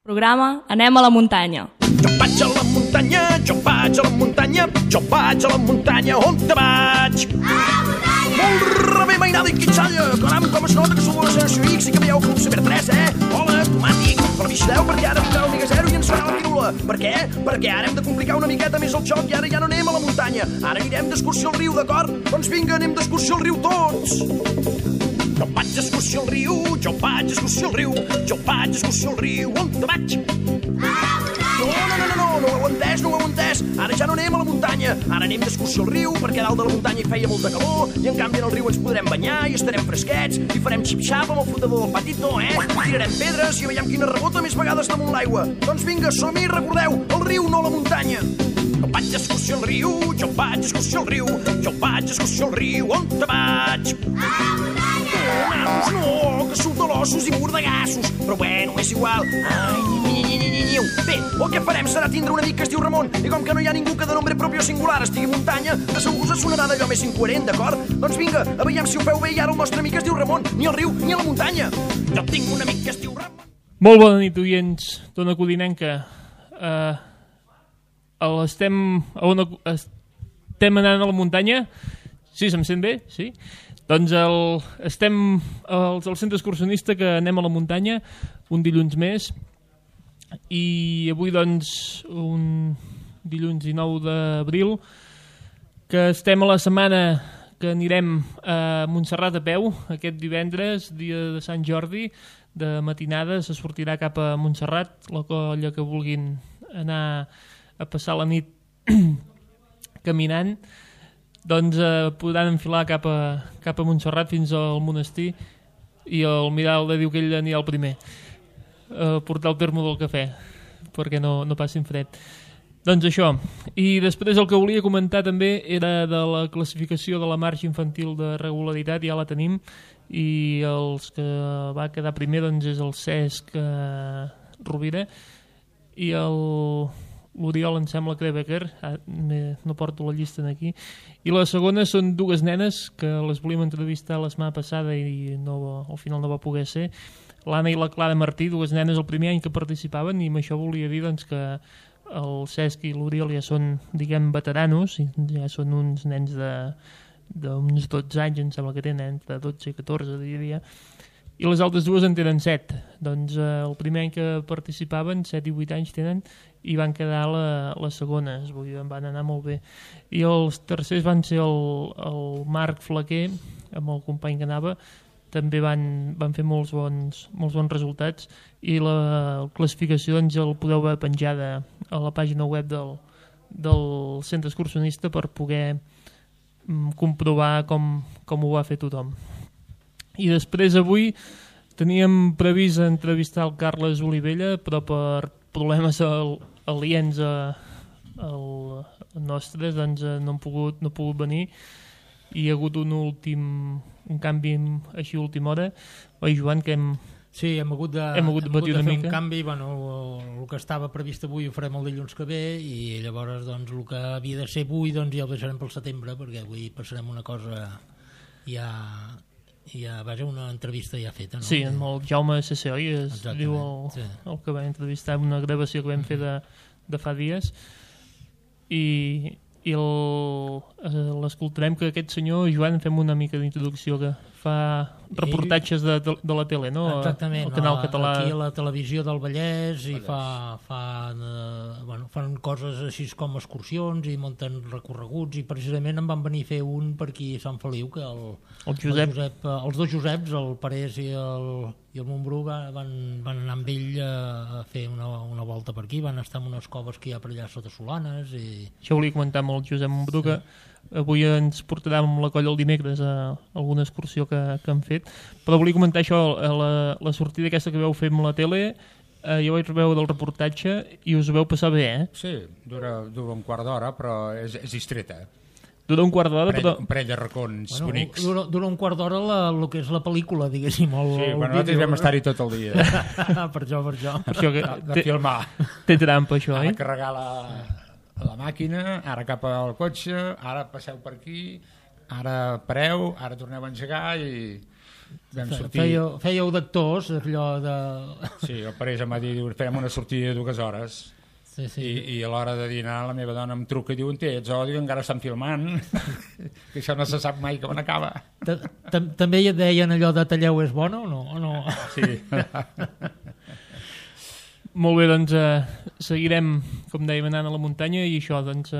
Programa Anem a la muntanya. Jo vaig a la muntanya, jo vaig a la muntanya, jo vaig a la muntanya, on te vaig? A la muntanya! Molt rebé, mainada i quitxalla, caram, com es nota que sou la generació X i que veieu Club Ciber 3, Hola, tomàtic, però vigileu perquè ara vindrà el Liga 0 i ens farà la pirula. Per què? Perquè ara hem de complicar una miqueta més el joc i ara ja no anem a la muntanya, ara anirem d'excursió al riu, d'acord? Doncs vinga, anem d'excursió al riu tots! Jo vaig d'excursió al riu, jo vaig d'excursió al riu, jo vaig d'excursió al riu, on te vaig? No ho heu entès. Ara ja no anem a la muntanya, ara anem d'excursió al riu, perquè a dalt de la muntanya hi feia molta calor, i en canvi en el riu ens podrem banyar i estarem fresquets, i farem xip-xap amb el flotador del patito, Tirarem pedres i veiem quina rebota més vegades damunt l'aigua. Doncs vinga, som-hi, recordeu, el riu, no la muntanya. Jo vaig d'excursió al riu, jo vaig d'excursió al riu, jo vaig d'excursió al riu, on te vaig? A la muntanya! Nanos, no, que surt de l'ossos i mordegassos, però bueno, és igual. Bé, el que farem serà tindre un amic que es diu Ramon, i com que no hi ha ningú que de nombre propi o singular estigui muntanya, de segur us sonarà d'allò més incoherent, d'acord? Doncs vinga, a veiem si ho feu bé i ara el nostre amic es diu Ramon, ni al riu ni a la muntanya. Jo tinc un amic que es diu Ramon. Molt bona nit, oients d'Ona Codinenca. Estem anant a la muntanya? Sí, se'm sent bé? Sí? Doncs estem al centre excursionista que anem a la muntanya un dilluns més i avui doncs un dilluns 19 d'abril que estem a la setmana que anirem a Montserrat a peu aquest divendres, dia de Sant Jordi, de matinada se sortirà cap a Montserrat, la colla que vulguin anar a passar la nit caminant, doncs podran enfilar cap a Montserrat fins al monestir i el Miralda diu que ell anirà el primer a portar el termo del cafè perquè no passin fred. Doncs això, i després el que volia comentar també era de la classificació de la marxa infantil de regularitat, ja la tenim, i els que va quedar primer doncs és el Cesc Rovira i l'Oriol em sembla que Becker, no porto la llista aquí, i la segona són dues nenes que les volíem entrevistar la setmana passada i al final no va poder ser, l'Anna i la Clara Martí, dues nenes el primer any que participaven, i amb això volia dir doncs, que el Cesc i l'Oriol ja són, diguem, veteranos, ja són uns nens d'uns 12 anys, em sembla que tenen, entre 12 i 14 diria, i les altres dues en tenen 7. Doncs el primer any que participaven, 7 i 8 anys tenen, i van quedar la segona, van anar molt bé. I els tercers van ser el Marc Flaquer, amb el company que anava, també van fer molts bons resultats, i la classificació doncs, el podeu veure penjada a la pàgina web del centre excursionista per poder comprovar com ho va fer tothom. I després avui teníem previst entrevistar el Carles Olivella, però per problemes aliens nostres doncs no he pogut venir i hi ha hagut un canvi així a última hora. Oi, Joan, que Sí, hem hagut de patir una fer mica. un canvi, el que estava previst avui ho farem el dilluns que ve i llavors doncs, el que havia de ser avui doncs, ja ho deixarem pel setembre perquè avui passarem una cosa vaja, una entrevista ja feta, no? Sí, amb el Jaume C.C. oi? Diu el que va entrevistar en una gravació que vam fer de fa dies i l'escoltarem, que aquest senyor Joan fem una mica d'introducció, que fa reportatges de la tele, no? Exactament, el canal català. Aquí a la televisió del Vallès i fan coses així com excursions i munten recorreguts, i precisament em van venir a fer un per aquí a Sant Feliu, que els dos Joseps, el Parés i el Montbrú van anar amb ell a fer una volta per aquí, van estar en unes coves que hi ha per allà sota Solanes i... Això volia comentar amb el Josep Montbrú, que avui ens portarà amb la colla el dimecres a alguna excursió que han fet, però volia comentar això, la sortida aquesta que veu fer amb la tele, jo vaig veure el reportatge i us ho veu passar bé, Sí, dura un quart d'hora, però és distreta. Dura un quart d'hora, però... Un parell de racons bonics. Dura un quart d'hora el que és la pel·lícula, diguéssim. Nosaltres vam estar-hi tot el dia. Per això. De filmar. Té trampa, això, Ara carregar la màquina, ara cap al cotxe, ara passeu per aquí, ara pareu, ara torneu a engegar i vam sortir... Fèieu d'actors, allò de... Sí, el Parés em va dir, fem una sortida de 2 hores. Sí. I a l'hora de dinar la meva dona em truca i diu, ets odi, encara estan filmant, que això no se sap mai com acaba. També et deien allò de talleu és bona o no? Sí. Molt bé, doncs seguirem, com dèiem, anant a la muntanya i això, doncs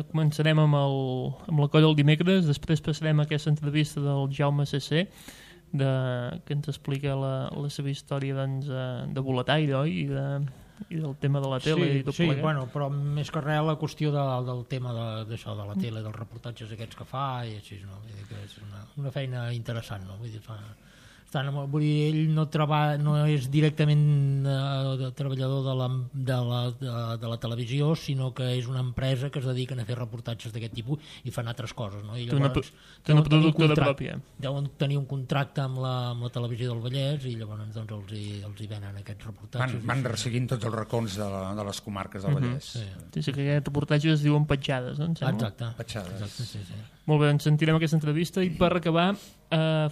començarem amb la colla el dimecres, després passarem a aquesta entrevista del Jaume CC, que ens explica la seva història doncs, de boletaire, oi? I del tema de la tele i tot plegat. Bueno, però més que res la qüestió del tema d'això, de la tele, dels reportatges aquests que fa i així, no? Vull dir que és una feina interessant, no? Vull dir, vull dir, ell no és directament treballador de la televisió, sinó que és una empresa que es dediquen a fer reportatges d'aquest tipus i fan altres coses, no? I llavors, té una productora pròpia. Deuen tenir un contracte amb la televisió del Vallès i llavors doncs, els hi venen aquests reportatges. Van resseguint tots els racons de les comarques del Vallès. Sí, que aquests reportatges es diuen petjades, no? Exacte. Petjades. Exacte, sí. Molt bé, ens sentirem aquesta entrevista i per acabar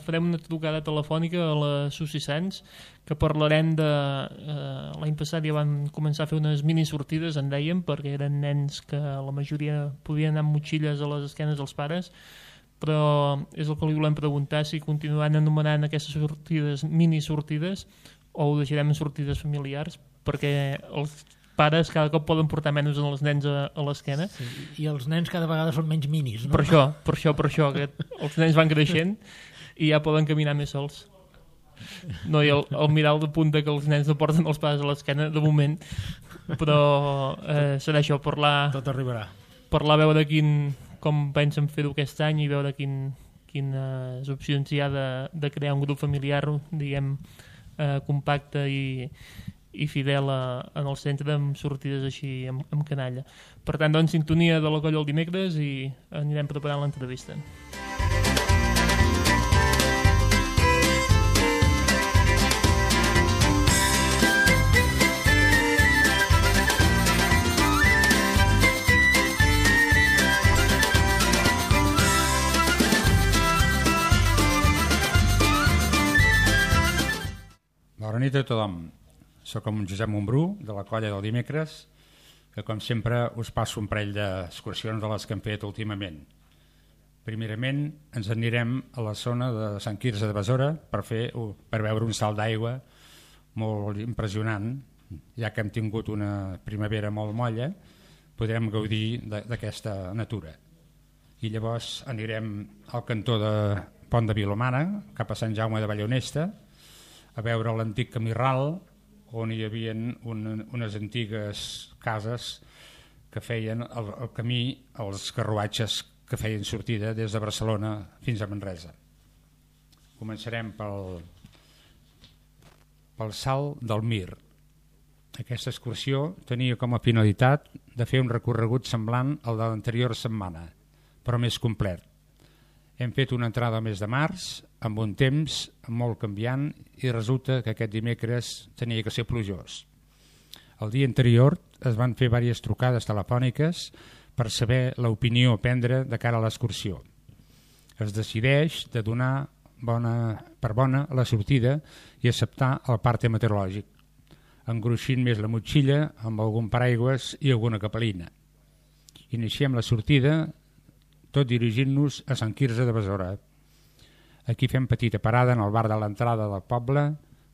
farem una trucada telefònica a la Susi Sans, que parlarem de... l'any passat ja van començar a fer unes mini sortides, en dèiem, perquè eren nens que la majoria podien anar amb motxilles a les esquenes dels pares, però és el que li volem preguntar, si continuaran anomenant aquestes sortides mini sortides o ho deixarem en sortides familiars, perquè els pares cada cop poden portar menys els nens a l'esquena. Sí, i els nens cada vegada són menys minis, no? Per això, que els nens van creixent i ja poden caminar més sols. No, i el miral de punta que els nens no porten els pares a l'esquena, de moment, però serà això, parlar... Tot arribarà. Parlar, veure com pensen fer-ho aquest any i veure quines opcions hi ha de crear un grup familiar, diguem, compacte i fidel en el centre, amb sortides així amb canalla. Per tant, doncs, sintonia de la colla el dimecres i anirem preparant l'entrevista. Bona nit a tothom. Soc el Josep Montbrú, de la colla del dimecres, que com sempre us passo un parell d'excursions de les que hem fet últimament. Primerament ens anirem a la zona de Sant Quirze de Besora per veure un salt d'aigua molt impressionant. Ja que hem tingut una primavera molt molla, podrem gaudir d'aquesta natura. I llavors anirem al cantó de Pont de Vilomara, cap a Sant Jaume de Vallhonesta, a veure l'antic camí ral, on hi havia unes antigues cases que feien el camí, els carruatges que feien sortida des de Barcelona fins a Manresa. Començarem pel salt del Mir. Aquesta excursió tenia com a finalitat de fer un recorregut semblant al de l'anterior setmana, però més complet. Hem fet una entrada al mes de març, amb un temps molt canviant, i resulta que aquest dimecres tenia que ser plujós. El dia anterior es van fer diverses trucades telefòniques per saber l'opinió a prendre de cara a l'excursió. Es decideix de donar per bona la sortida i acceptar el parte meteorològic, engruixint més la motxilla amb algun paraigües i alguna capelina. Iniciem la sortida tot dirigint-nos a Sant Quirze de Besora. Aquí fem petita parada en el bar de l'entrada del poble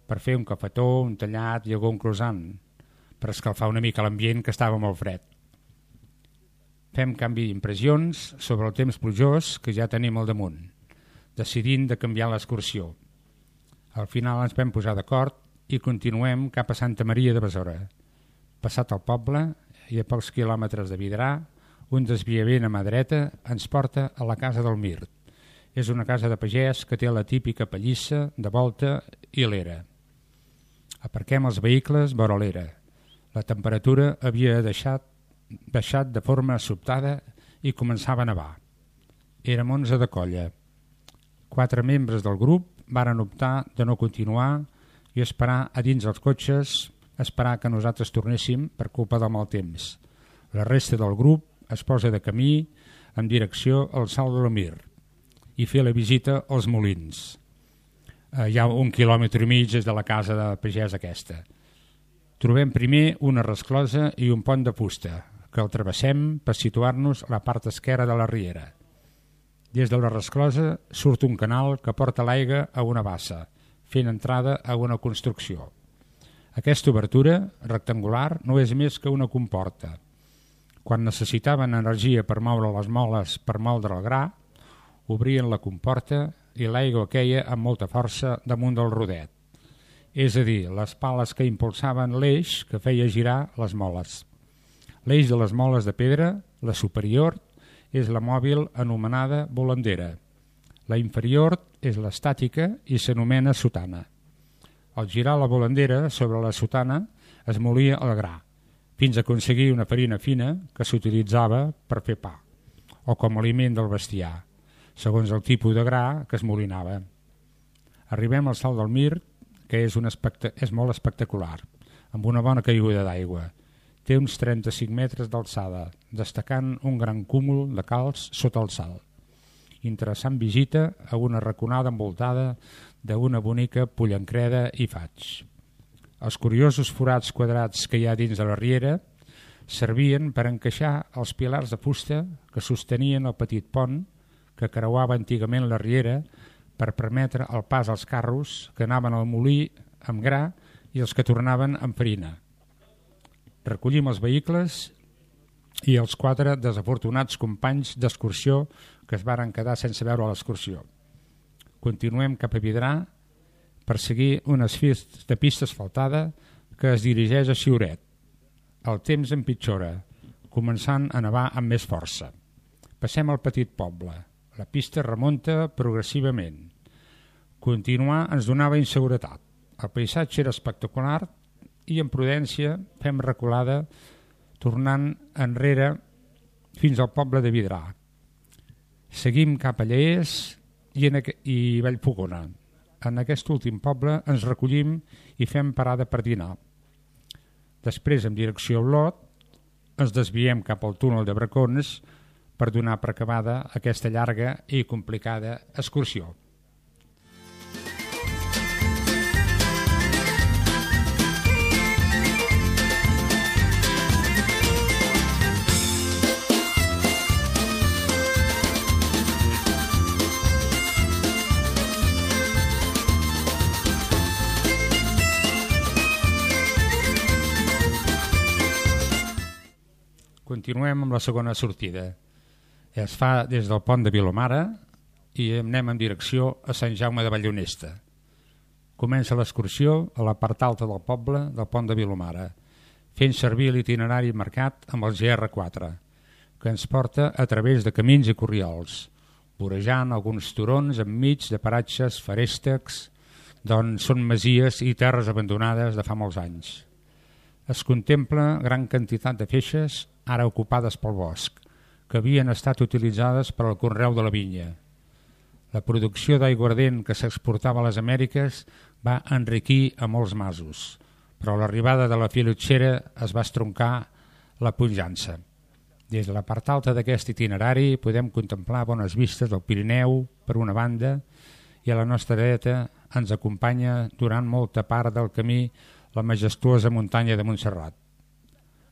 per fer un cafetó, un tallat i algun croissant, per escalfar una mica l'ambient que estava molt fred. Fem canvi d'impressions sobre el temps plujós que ja tenim al damunt, decidint de canviar l'excursió. Al final ens vam posar d'acord i continuem cap a Santa Maria de Besora. Passat el poble i a pocs quilòmetres de Vidrà, un desviament a mà dreta ens porta a la casa del Mir. És una casa de pagès que té la típica pallissa de volta i l'era. Aparquem els vehicles vora l'era. La temperatura havia baixat de forma sobtada i començava a nevar. Érem 11 de colla. 4 membres del grup varen optar de no continuar i esperar a dins els cotxes, esperar que nosaltres tornéssim per culpa del mal temps. La resta del grup es posa de camí en direcció al Salt de l'Amir i fer la visita als molins. Hi ha 1,5 quilòmetres des de la casa de pagès aquesta. Trobem primer una resclosa i un pont de fusta, que el travessem per situar-nos a la part esquerra de la riera. Des de la resclosa surt un canal que porta l'aigua a una bassa, fent entrada a una construcció. Aquesta obertura rectangular no és més que una comporta. Quan necessitaven energia per moure les moles per moldre el gra, obrien la comporta i l'aigua queia amb molta força damunt del rodet. És a dir, les pales que impulsaven l'eix que feia girar les moles. L'eix de les moles de pedra, la superior, és la mòbil anomenada volandera. La inferior és l'estàtica i s'anomena sotana. Al girar la volandera sobre la sotana es molia el gra, fins a aconseguir una farina fina que s'utilitzava per fer pa, o com a aliment del bestiar, segons el tipus de gra que es molinava. Arribem al Salt del Mirt, que és molt espectacular, amb una bona caiguda d'aigua. Té uns 35 metres d'alçada, destacant un gran cúmul de calç sota el salt. Interessant visita a una raconada envoltada d'una bonica pollancreda i faig. Els curiosos forats quadrats que hi ha dins de la riera servien per encaixar els pilars de fusta que sostenien el petit pont que creuava antigament la riera per permetre el pas als carros que anaven al molí amb gra i els que tornaven amb farina. Recollim els vehicles i els 4 desafortunats companys d'excursió que es varen quedar sense veure l'excursió. Continuem cap a Vidrà per seguir unes files de pista asfaltada que es dirigeix a Xiuret. El temps empitjora, començant a nevar amb més força. Passem al petit poble. La pista remunta progressivament. Continuar ens donava inseguretat. El paisatge era espectacular i en prudència fem reculada tornant enrere fins al poble de Vidrà. Seguim cap a Lleers i Vallfogona. En aquest últim poble ens recollim i fem parada per dinar. Després, en direcció a Olot, ens desviem cap al túnel de Bracons per donar per acabada aquesta llarga i complicada excursió. Continuem amb la segona sortida. Es fa des del pont de Vilomara i anem en direcció a Sant Jaume de Vallonesta. Comença l'excursió a la part alta del poble del pont de Vilomara, fent servir l'itinerari marcat amb el GR4, que ens porta a través de camins i corriols, vorejant alguns turons enmig de paratges feréstecs, d'on són masies i terres abandonades de fa molts anys. Es contempla gran quantitat de feixes ara ocupades pel bosc, que havien estat utilitzades per al conreu de la vinya. La producció d'aiguardent que s'exportava a les Amèriques va enriquir a molts masos, però l'arribada de la filotxera es va estroncar la pujança. Des de la part alta d'aquest itinerari podem contemplar bones vistes del Pirineu, per una banda, i a la nostra dreta ens acompanya durant molta part del camí la majestuosa muntanya de Montserrat.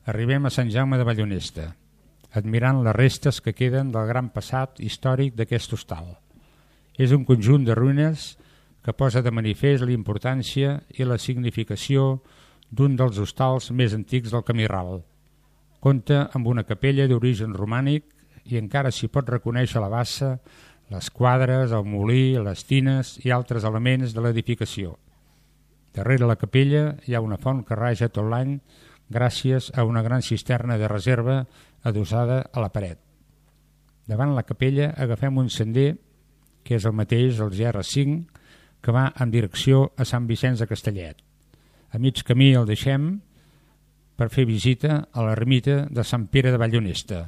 Arribem a Sant Jaume de Vallonesta, admirant les restes que queden del gran passat històric d'aquest hostal. És un conjunt de ruïnes que posa de manifest la importància i la significació d'un dels hostals més antics del Camí Ral. Compta amb una capella d'origen romànic i encara s'hi pot reconèixer la bassa, les quadres, el molí, les tines i altres elements de l'edificació. Darrere la capella hi ha una font que raja tot l'any gràcies a una gran cisterna de reserva adossada a la paret. Davant la capella agafem un sender, que és el mateix, el GR5, que va en direcció a Sant Vicenç de Castellet. A mig camí el deixem per fer visita a l'ermita de Sant Pere de Vallonesta,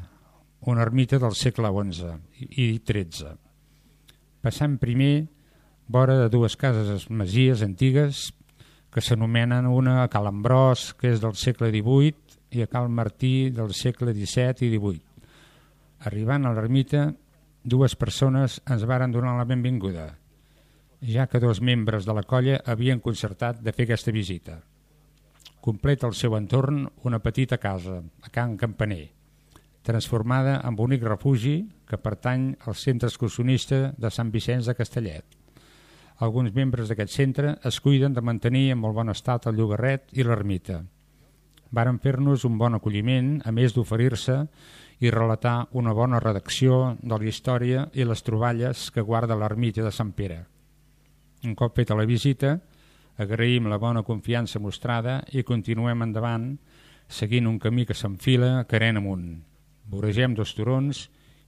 una ermita del segle XI i XIII. Passant primer vora de dues cases masies antigues que s'anomenen una a Cal Ambròs, que és del segle XVIII, i a Cal Martí del segle XVII i XVIII. Arribant a l'ermita, dues persones ens varen donar la benvinguda. ja que 2 membres de la colla havien concertat de fer aquesta visita. Completa el seu entorn una petita casa, a Can Campaner, transformada en bonic refugi que pertany al centre excursionista de Sant Vicenç de Castellet. Alguns membres d'aquest centre es cuiden de mantenir en molt bon estat el llogarret i l'ermita. Varen fer-nos un bon acolliment, a més d'oferir-se i relatar una bona redacció de la història i les troballes que guarda l'ermita de Sant Pere. Un cop feta la visita, agraïm la bona confiança mostrada i continuem endavant, seguint un camí que s'enfila carent amunt. Voregem 2 turons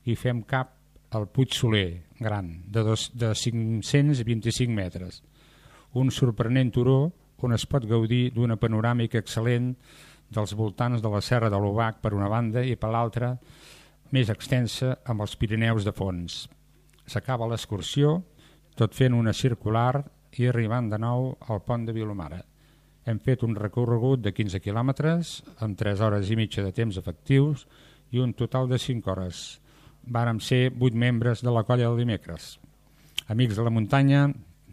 i fem cap al Puig Soler, gran, de 525 metres. Un sorprenent turó on es pot gaudir d'una panoràmica excel·lent dels voltants de la Serra de l'Obac per una banda i per l'altra més extensa amb els Pirineus de fons. S'acaba l'excursió, tot fent una circular i arribant de nou al pont de Vilomara. Hem fet un recorregut de 15 quilòmetres amb 3 hores i mitja de temps efectius i un total de 5 hores. Vàrem ser 8 membres de la colla del dimecres. Amics de la muntanya,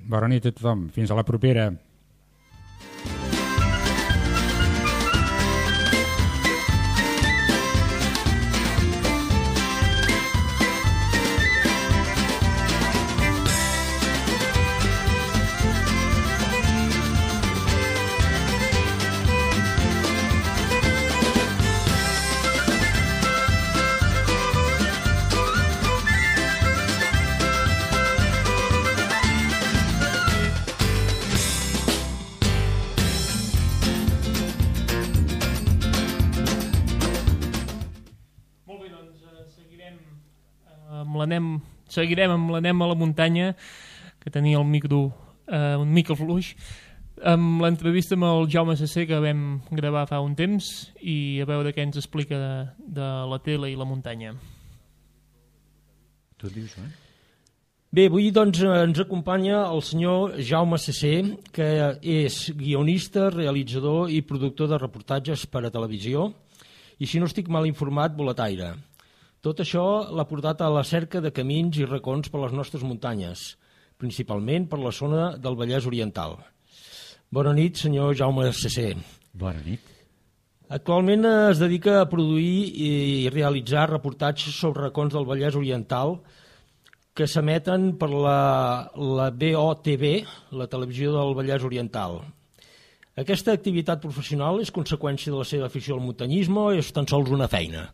bona nit a tothom. Fins a la propera. Seguirem amb l'Anem a la muntanya, que tenia el micro un mica fluix, amb l'entrevista amb el Jaume Sasser que vam gravar fa un temps i a veure què ens explica de la tele i la muntanya. Tu dius, Bé, avui doncs, ens acompanya el senyor Jaume Sasser, que és guionista, realitzador i productor de reportatges per a televisió i, si no estic mal informat, boletaire. Tot això l'ha portat a la cerca de camins i racons per les nostres muntanyes, principalment per la zona del Vallès Oriental. Bona nit, senyor Jaume Sasser. Bona nit. Actualment es dedica a produir i realitzar reportatges sobre racons del Vallès Oriental que s'emeten per la BOTV, la televisió del Vallès Oriental. Aquesta activitat professional és conseqüència de la seva afició al muntanyisme o és tan sols una feina?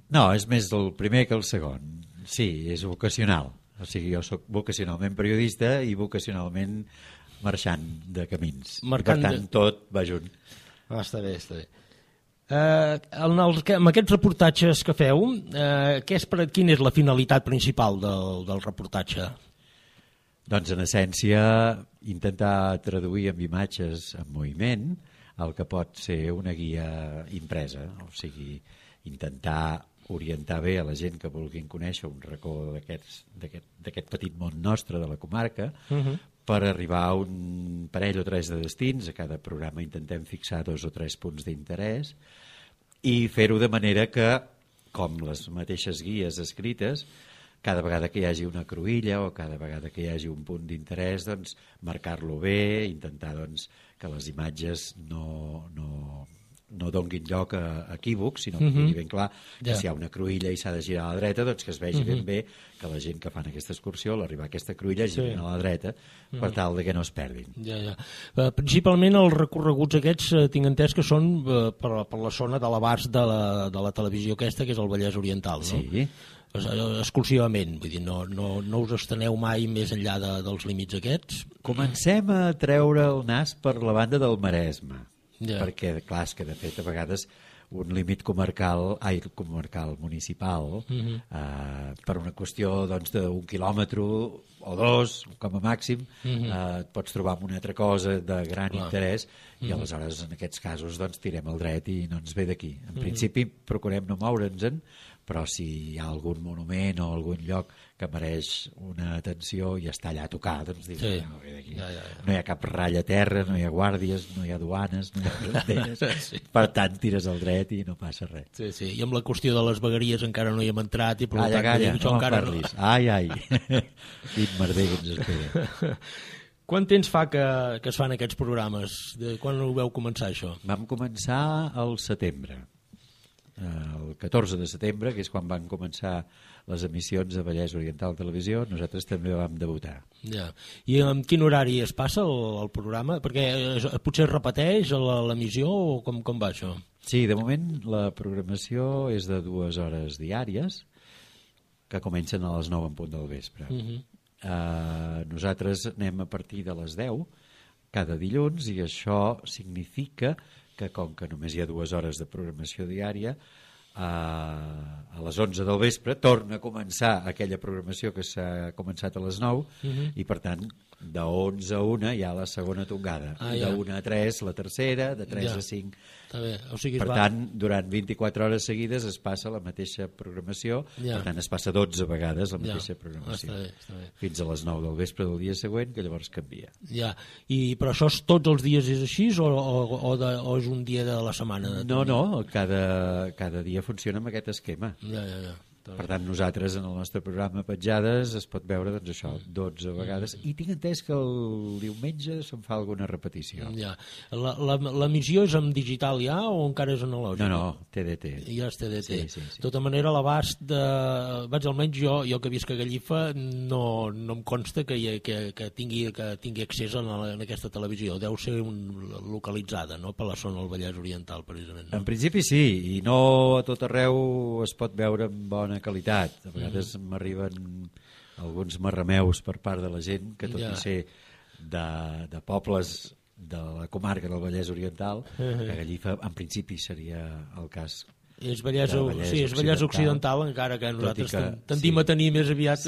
No, és més el primer que el segon. Sí, és vocacional. O sigui, jo soc vocacionalment periodista i vocacionalment marxant de camins. Per tant, tot va junt. Està bé, està bé. Amb aquests reportatges que feu, quina és la finalitat principal del reportatge? Doncs, en essència, intentar traduir amb imatges en moviment el que pot ser una guia impresa. O sigui, intentar orientar bé a la gent que vulguin conèixer un racó d'aquest petit món nostre de la comarca per arribar a un parell o 3 de destins. A cada programa intentem fixar 2 o 3 punts d'interès i fer-ho de manera que, com les mateixes guies escrites, cada vegada que hi hagi una cruïlla o cada vegada que hi hagi un punt d'interès, doncs, marcar-lo bé, intentar doncs, que les imatges no donguin lloc a equívocs, sinó que quedi ben clar que si hi ha una cruïlla i s'ha de girar a la dreta, doncs que es vegi ben bé que la gent que fan aquesta excursió, a l'arribar a aquesta cruïlla, girin a la dreta per tal de que no es perdin. Principalment els recorreguts aquests tinc entès que són per la zona de l'abast de la televisió aquesta, que és el Vallès Oriental, no? Sí. Exclusivament, vull dir, no us esteneu mai més enllà dels límits aquests? Comencem a treure el nas per la banda del Maresme. Perquè, clar, és que de fet a vegades un límit comarcal municipal per una qüestió doncs, d'1 quilòmetre o 2 com a màxim et pots trobar amb una altra cosa de gran interès i aleshores en aquests casos doncs, tirem el dret i no ens ve d'aquí. En principi procurem no moure'ns-en però si hi ha algun monument o algun lloc que mereix una atenció i està allà a tocar, doncs dius, Sí. no, ve d'aquí. Ja. No hi ha cap ratlla a terra, no hi ha guàrdies, no hi ha duanes, no hi ha fronteres, per tant tires al dret i no passa res. Sí. I amb la qüestió de les vegueries encara no hi hem entrat i per Calla, tant, calla, això no encara parlis. Ai. Quin merder que ens espera. Quant temps fa que es fan aquests programes? Quan ho veu començar, això? Vam començar al setembre. El 14 de setembre, que és quan van començar les emissions a Vallès Oriental Televisió, nosaltres també vam debutar. Ja. I en quin horari es passa el programa? Perquè potser es repeteix l'emissió o com va això? Sí, de moment la programació és de 2 hores diàries que comencen a les 9 en punt del vespre. Nosaltres anem a partir de les 10 cada dilluns i això significa que com que només hi ha 2 hores de programació diària, a les 11 del vespre torna a començar aquella programació que s'ha començat a les 9 i per tant de 11 a 1 hi ha la segona tongada, de 1 a 3 la tercera, de 3 a 5. Està bé. O sigui, Per tant, durant 24 hores seguides es passa la mateixa programació, per tant es passa 12 vegades la mateixa programació, està bé. fins a les 9 del vespre del dia següent, que llavors canvia. Ja. Però això tots els dies és així o és un dia de la setmana? No, cada dia funciona amb aquest esquema. Ja. Per tant, nosaltres en el nostre programa Petjades es pot veure, doncs això, 12 vegades, i tinc entès que el diumenge se'n fa alguna repetició. Ja. L'emissió és en digital ja o encara és analògic? No, TDT. Ja és TDT. Sí. De tota manera, l'abast de... almenys jo que visc a Gallifa no em consta que tingui accés en aquesta televisió. Deu ser localitzada, no?, per la zona del Vallès Oriental, precisament. En principi sí, i no a tot arreu es pot veure amb bona qualitat. A vegades m'arriben alguns marrameus per part de la gent que tot i ser de pobles de la comarca del Vallès Oriental, que Gallifa en principi seria el cas. És Vallès Occidental, encara que nosaltres tendim a tenir més aviat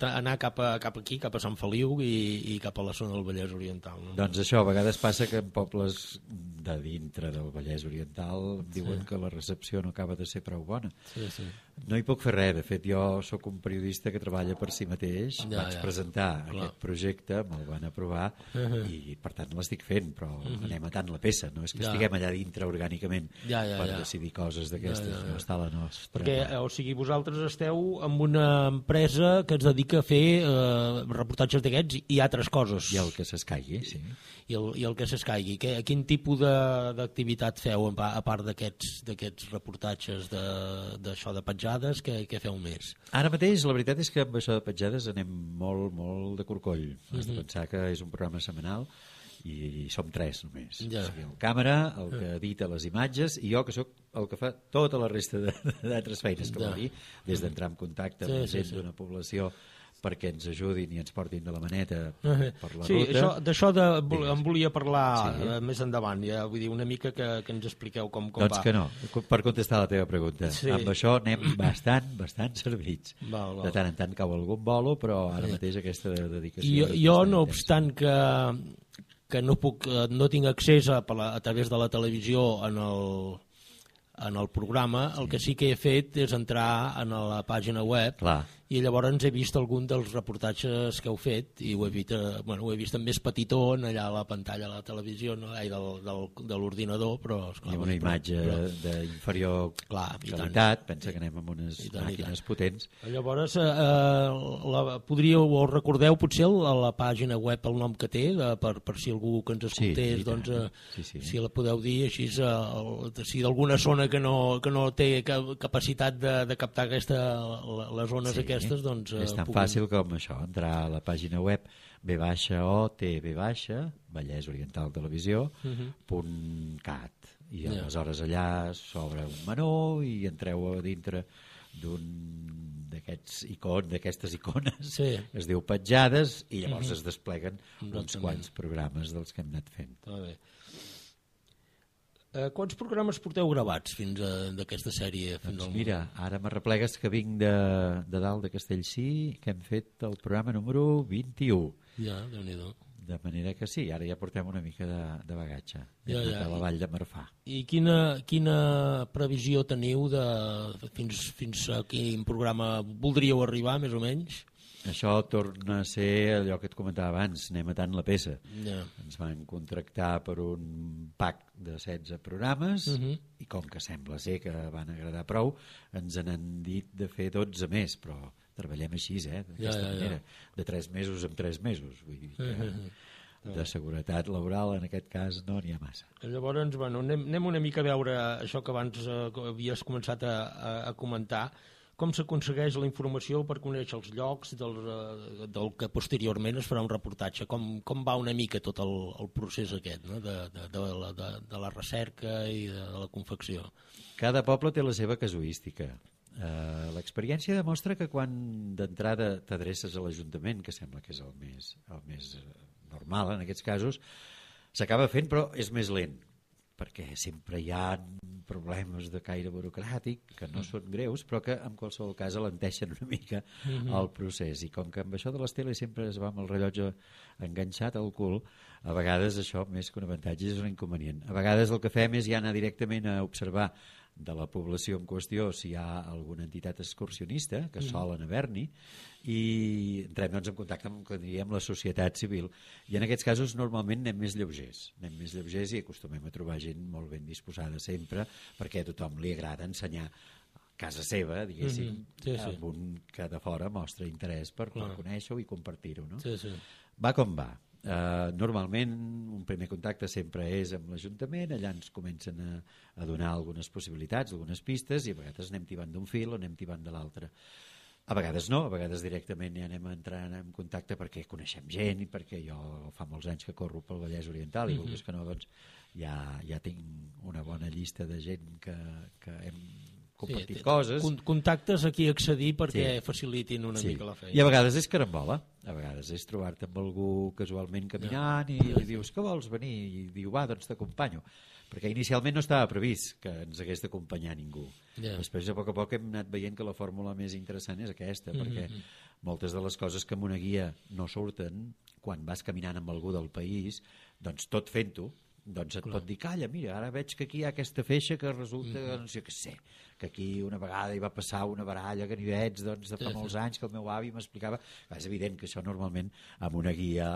anar cap aquí, cap a Sant Feliu i cap a la zona del Vallès Oriental. No? Doncs això, a vegades passa que en pobles de dintre del Vallès Oriental diuen que la recepció no acaba de ser prou bona. Sí. No hi puc fer res, de fet jo sóc un periodista que treballa per si mateix, vaig presentar aquest projecte, me'l van aprovar i per tant l'estic fent, però anem matant la peça, no és que estiguem allà dintre orgànicament per decidir coses d'aquestes, no està la nostra. Perquè, o sigui, vosaltres esteu amb una empresa que es dedica a fer reportatges d'aquests i altres coses. I el que s'escaigui, sí. I el que s'escaigui. Quin tipus d'activitat feu a part d'aquests reportatges d'això de petjades, què feu més? Ara mateix la veritat és que amb això de petjades anem molt, molt de corcoll. Has de pensar que és un programa setmanal i som 3 només. O sigui, el càmera, el que edita les imatges i jo que sóc el que fa tota la resta d'altres feines, que vol dir, des d'entrar en contacte amb gent d'una població perquè ens ajudin i ens portin de la maneta per la ruta. Sí, d'això em volia parlar més endavant, vull dir, una mica que ens expliqueu com va. Doncs que no, per contestar la teva pregunta. Amb això anem bastant servits. De tant en tant cau algun bolo, però ara mateix aquesta dedicació... Jo, no obstant que no tinc accés a través de la televisió en el programa, el que sí que he fet és entrar en la pàgina web i llavors he vist algun dels reportatges que heu fet i ho he vist en més petitó allà a la pantalla de la televisió, de l'ordinador, però... I amb una imatge d'inferior qualitat, pensa que anem amb unes màquines potents. Llavors, o recordeu potser a la pàgina web el nom que té, per si algú que ens escoltés, si la podeu dir, així, si d'alguna zona que no té capacitat de captar les zones aquestes, doncs... És tan fàcil com això, entrar a la pàgina web VOTV, Vallès Oriental Televisió.cat i aleshores allà s'obre un menú i entreu a dintre d'aquestes icones, es diu petjades, i llavors es despleguen uns quants programes dels que hem anat fent. Quants programes porteu gravats fins d'aquesta sèrie? Doncs mira, ara m'arreplegues que vinc de dalt de Castellcí, que hem fet el programa número 21. Ja, Déu-n'hi-do. De manera que sí, ara ja portem una mica de bagatge. Ja. A la Vall de Marfà. I quina previsió teniu fins a quin programa voldríeu arribar, més o menys? Això torna a ser allò que et comentava abans, anem matant la peça. Ja. Ens van contractar per un pack de 16 programes i com que sembla ser que van agradar prou, ens han dit de fer 12 més, però treballem així, d'aquesta manera, de 3 mesos en 3 mesos. Vull dir que de seguretat laboral en aquest cas no n'hi ha massa. Llavors, bueno, anem una mica a veure això que abans havies començat a comentar. Com s'aconsegueix la informació per conèixer els llocs del que posteriorment es farà un reportatge? Com va una mica tot el procés aquest, no? de la recerca i de la confecció? Cada poble té la seva casuística. L'experiència demostra que quan d'entrada t'adreces a l'Ajuntament, que sembla que és el més normal en aquests casos, s'acaba fent però és més lent, perquè sempre hi ha problemes de caire burocràtic que no són greus però que en qualsevol cas alenteixen una mica el procés, i com que amb això de les teles sempre es va amb el rellotge enganxat al cul, a vegades això més que un avantatge és un inconvenient. A vegades el que fem és ja anar directament a observar de la població en qüestió si hi ha alguna entitat excursionista que solen haver-n'hi, i entrem doncs, en contacte amb, diríem, la societat civil, i en aquests casos normalment anem més lleugers i acostumem a trobar gent molt ben disposada sempre, perquè a tothom li agrada ensenyar casa seva, diguéssim, amb un que de fora mostra interès per conèixer-ho i compartir-ho, no? Va com va. Normalment un primer contacte sempre és amb l'Ajuntament, allà ens comencen a donar algunes possibilitats, algunes pistes, i a vegades anem tibant d'un fil o anem tibant de l'altre. A vegades no, a vegades directament ja anem entrant en contacte perquè coneixem gent i perquè jo fa molts anys que corro pel Vallès Oriental i vulguis que no, doncs ja tinc una bona llista de gent que hem compartit coses. Contactes aquí a accedir perquè facilitin una mica la feina. I a vegades és carambola, a vegades és trobar-te amb algú casualment caminant i li dius que vols venir, i diu va, doncs t'acompanyo, perquè inicialment no estava previst que ens hagués d'acompanyar ningú. Després a poc hem anat veient que la fórmula més interessant és aquesta, perquè moltes de les coses que amb una guia no surten, quan vas caminant amb algú del país, doncs tot fent-ho, doncs et pot dir, calla, mira, ara veig que aquí hi ha aquesta feixa que resulta, doncs jo què sé, que aquí una vegada hi va passar una baralla a Ganivets, doncs de fa molts anys, que el meu avi m'explicava. És evident que això normalment amb una guia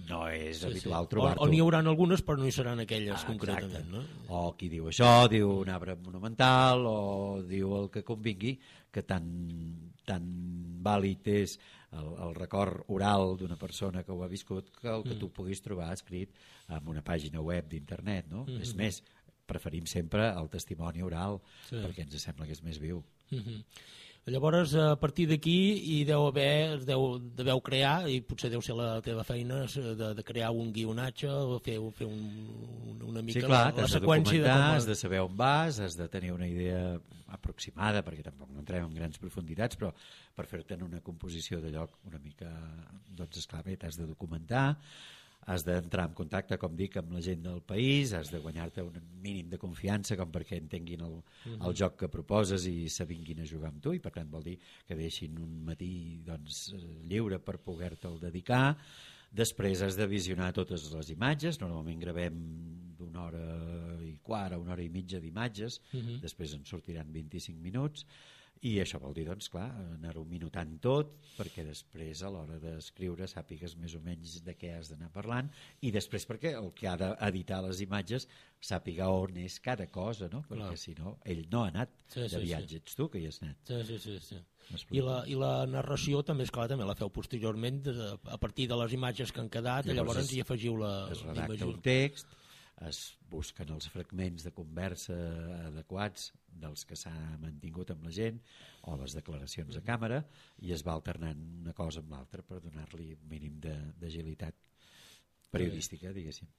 no és habitual trobar-ho. O n'hi haurà algunes però no hi seran aquelles concretament, no? O qui diu això, diu un arbre monumental, o diu el que convingui, que tan vàlid és el record oral d'una persona que ho ha viscut que el que tu puguis trobar escrit en una pàgina web d'internet, no? És més, preferim sempre el testimoni oral perquè ens sembla que és més viu. Llavors, a partir d'aquí hi deveu crear, i potser deu ser la teva feina, de crear un guionatge o fer una mica la seqüència de com... Has de saber on vas, has de tenir una idea aproximada, perquè tampoc no entrem en grans profunditats, però per fer-te una composició de lloc una mica, doncs esclar, bé, t'has de documentar, has d'entrar en contacte, com dic, amb la gent del país, has de guanyar-te un mínim de confiança com perquè entenguin el joc que proposes i s'avinguin a jugar amb tu, i per tant vol dir que deixin un matí doncs, lliure per poder-te'l dedicar. Després has de visionar totes les imatges, normalment gravem d'una hora i quart a una hora i mitja d'imatges, després en sortiran 25 minuts, i això vol dir, doncs, clar, anar-ho minutant tot perquè després a l'hora d'escriure sàpigues més o menys de què has d'anar parlant, i després perquè el que ha d'editar les imatges sàpiga on és cada cosa, no? Perquè si no, ell no ha anat de viatge, ets tu que hi has anat. Sí. I la narració també, esclar, també la feu posteriorment a partir de les imatges que han quedat, llavors hi afegiu la... Es redacta un text, es busquen els fragments de conversa adequats dels que s'ha mantingut amb la gent o les declaracions a càmera, i es va alternant una cosa amb l'altra per donar-li un mínim d'agilitat periodística, diguéssim.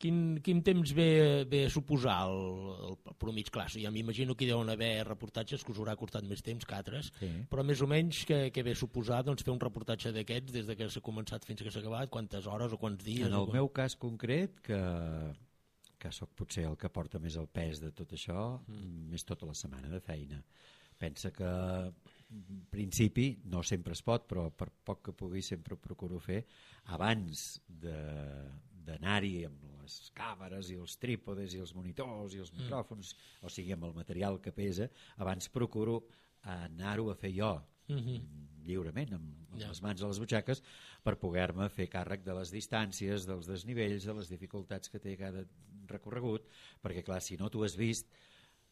Quin temps ve a suposar el promig? Clar, ja m'imagino que hi deuen haver reportatges que us haurà costat més temps que altres, però més o menys què ve a suposar doncs, fer un reportatge d'aquests des que s'ha començat fins que s'ha acabat? Quantes hores o quants dies? En el meu cas concret, que sóc potser el que porta més el pes de tot això, és tota la setmana de feina. pensa que en principi no sempre es pot, però per poc que pugui sempre ho procuro fer abans d'anar-hi amb les càmeres i els trípodes i els monitors i els micròfons, o sigui amb el material que pesa, abans procuro anar-ho a fer jo lliurement, amb les mans a les butxaques, per poder-me fer càrrec de les distàncies, dels desnivells, de les dificultats que té cada recorregut, perquè clar, si no t'ho has vist,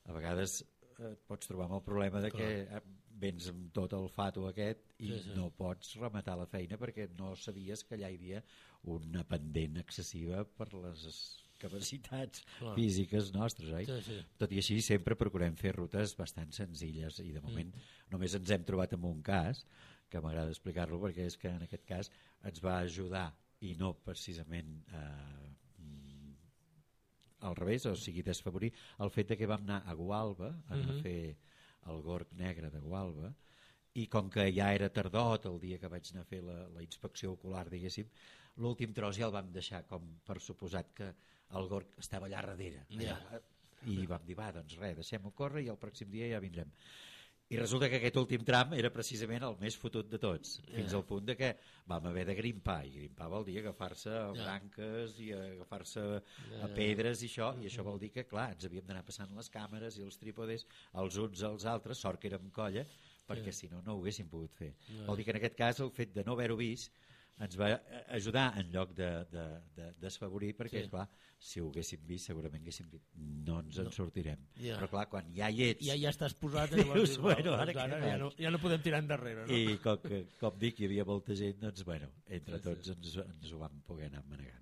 a vegades et pots trobar amb el problema de que vens amb tot el fato aquest i no pots rematar la feina perquè no sabies que allà hi havia una pendent excessiva per les capacitats físiques nostres, oi? Tot i així sempre procurem fer rutes bastant senzilles i de moment només ens hem trobat amb un cas que m'agrada explicar-lo perquè és que en aquest cas ens va ajudar i no precisament al revés, o sigui desfavorir el fet de que vam anar a Gualba a fer el gorg negre de Gualba i com que ja era tardot el dia que vaig anar a fer la inspecció ocular, diguéssim, l'últim tros ja el vam deixar com per suposat que el gorg estava allà darrere i vam dir, va, doncs res, deixem-ho córrer i el pròxim dia ja vindrem. I resulta que aquest últim tram era precisament el més fotut de tots, fins al punt de que vam haver de grimpar, i grimpar vol dir agafar-se a branques i agafar-se a pedres i això vol dir que, clar, ens havíem d'anar passant les càmeres i els trípodes els uns als altres, sort que érem colla, perquè si no, no ho haguéssim pogut fer. Vol dir que en aquest cas el fet de no haver-ho vist ens va ajudar en lloc de desfavorir, perquè clar, si ho haguéssim vist segurament haguéssim dit no ens en sortirem, però clar, quan ja hi ets ja estàs posat dius, bueno, ara ja no podem tirar endarrere, no? I com dic, hi havia molta gent, doncs bueno, entre tots ens ho vam poder anar manegant.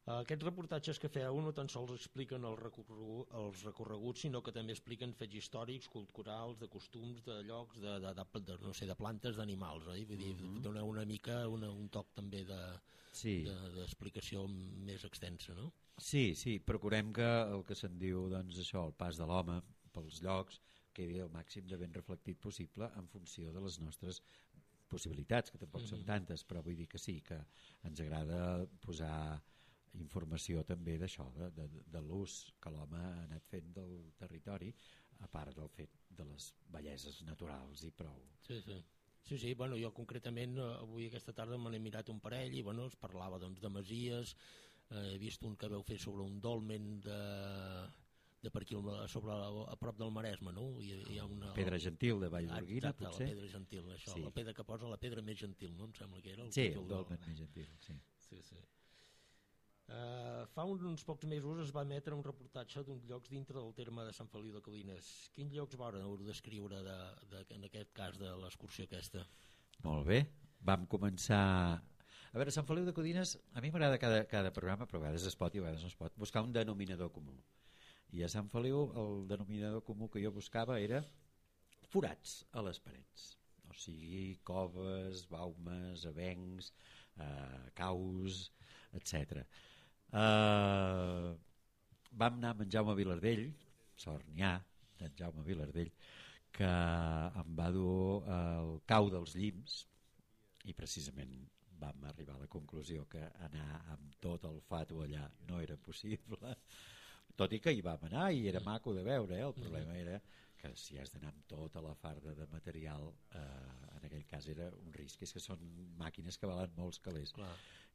Aquests reportatges que feu no tan sols expliquen els recorreguts, sinó que també expliquen fets històrics, culturals, de costums, de llocs, no sé, de plantes, d'animals, oi? Vull dir, doneu una mica un toc també d'explicació més extensa, no? Sí, procurem que el que se'n diu, doncs això, el pas de l'home pels llocs, quedi el màxim de ben reflectit possible en funció de les nostres possibilitats, que tampoc són tantes, però vull dir que sí, que ens agrada posar informació també d'això, de l'ús que l'home ha anat fent del territori, a part del fet de les belleses naturals i prou. Sí, bueno, jo concretament avui aquesta tarda me n'he mirat un parell i bueno, es parlava doncs, de masies, he vist un que veu fer sobre un dolmen de per aquí a prop del Maresme, no? Hi ha una Pedra Gentil de Vallgorguina, potser? La Pedra Gentil, això, la pedra que posa la pedra més gentil, no? Em sembla que era el títol. Sí, el dolmen més gentil, sí. Fa uns pocs mesos es va emetre un reportatge d'uns llocs dintre del terme de Sant Feliu de Codines. Quins llocs vau descriure en aquest cas de l'excursió aquesta? Molt bé, vam començar... A veure, Sant Feliu de Codines, a mi m'agrada cada programa, però a vegades es pot i a vegades no es pot, buscar un denominador comú. I a Sant Feliu el denominador comú que jo buscava era forats a les parets. O sigui, coves, baumes, avencs, caus, etc. Vam anar amb en Jaume Vilardell, Sornià d'en Jaume Vilardell, que em va dur al cau dels Llims i precisament vam arribar a la conclusió que anar amb tot el fato allà no era possible, tot i que hi vam anar i era maco de veure, el problema era que si has d'anar amb tota la farda de material, en aquell cas era un risc, és que són màquines que valen molts calés.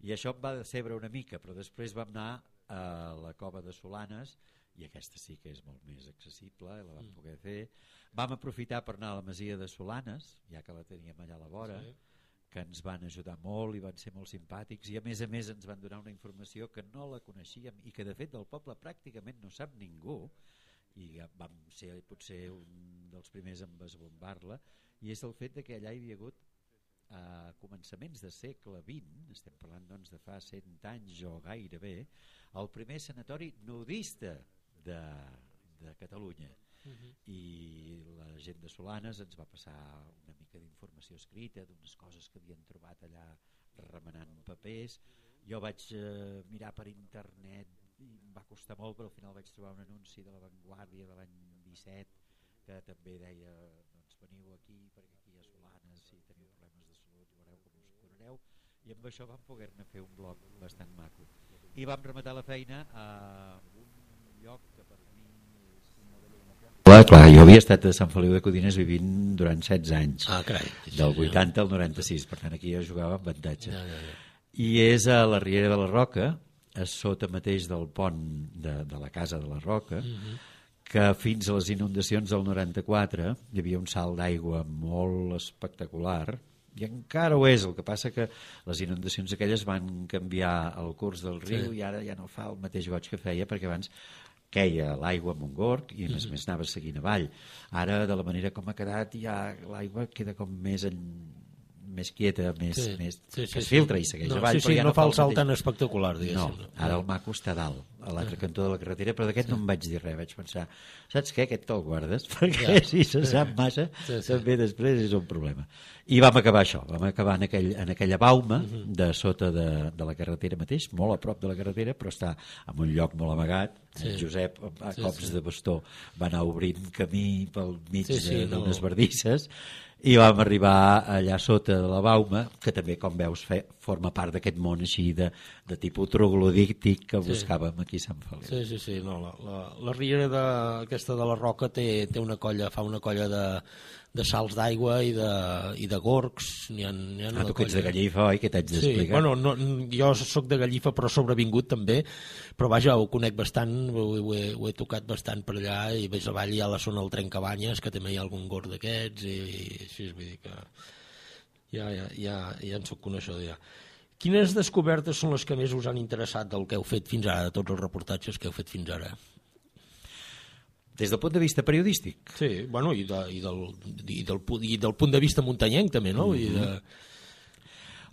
I això em va decebre una mica, però després vam anar a la cova de Solanes, i aquesta sí que és molt més accessible, la vam poder fer. Vam aprofitar per anar a la masia de Solanes, ja que la teníem allà a la vora, que ens van ajudar molt i van ser molt simpàtics, i a més ens van donar una informació que no la coneixíem i que de fet del poble pràcticament no sap ningú, i vam ser potser un dels primers en esbombar-la, i és el fet de que allà hi havia hagut a començaments de segle XX, estem parlant doncs de fa 100 anys o gairebé, el primer sanatori nudista de Catalunya. I la gent de Solanes ens va passar una mica d'informació escrita d'unes coses que havien trobat allà remenant papers. Jo vaig mirar per internet i em va costar molt, però al final vaig trobar un anunci de La Vanguardia de l'any 17 que també deia, doncs veniu aquí perquè aquí a Solanes si teniu problemes de salut veureu com us curareu, i amb això vam poder-ne fer un blog bastant maco i vam rematar la feina a un lloc que per mi és exemple, clar, jo havia estat a Sant Feliu de Codines vivint durant 16 anys, carai. del 80 al 96, per tant aquí jo jugava amb avantatge. I és a la Riera de la Roca, a sota mateix del pont de la Casa de la Roca, que fins a les inundacions del 94 hi havia un salt d'aigua molt espectacular, i encara ho és, el que passa que les inundacions aquelles van canviar el curs del riu i ara ja no fa el mateix goig que feia, perquè abans queia l'aigua amb un gorg i a més anava seguint avall. Ara, de la manera com ha quedat, ja l'aigua queda com més quieta, que es filtra i segueix avall. No fa el salt tan espectacular, diguéssim. No, ara el maco està dalt, a l'altre cantó de la carretera, però d'aquest no em vaig dir res, vaig pensar, saps què, aquest te'l guardes, perquè si se sap massa, també després és un problema. I vam acabar això, vam acabar en aquella bauma de sota de la carretera mateix, molt a prop de la carretera, però està en un lloc molt amagat. El Josep, a cops de bastó, va anar obrint camí pel mig d'unes bardisses, i vam arribar allà sota de la bauma, que també, com veus, forma part d'aquest món així de tipus troglodíctic que buscàvem aquí a Sant Feliu. Sí. No, la riera aquesta de la Roca fa una colla de salts d'aigua i de gorgs. Tu que ets de Gallifa, oi? Que t'haig d'explicar? Jo soc de Gallifa, però sobrevingut també, però vaja, ho conec bastant, ho he tocat bastant per allà, i més avall hi ha la zona del Trencabanyes, que també hi ha algun gorg d'aquests, i així, vull dir que ja en soc coneixedor ja. Quines descobertes són les que més us han interessat del que heu fet fins ara, de tots els reportatges que heu fet fins ara? Des del punt de vista periodístic? Sí, bueno, i del punt de vista muntanyenc també, no?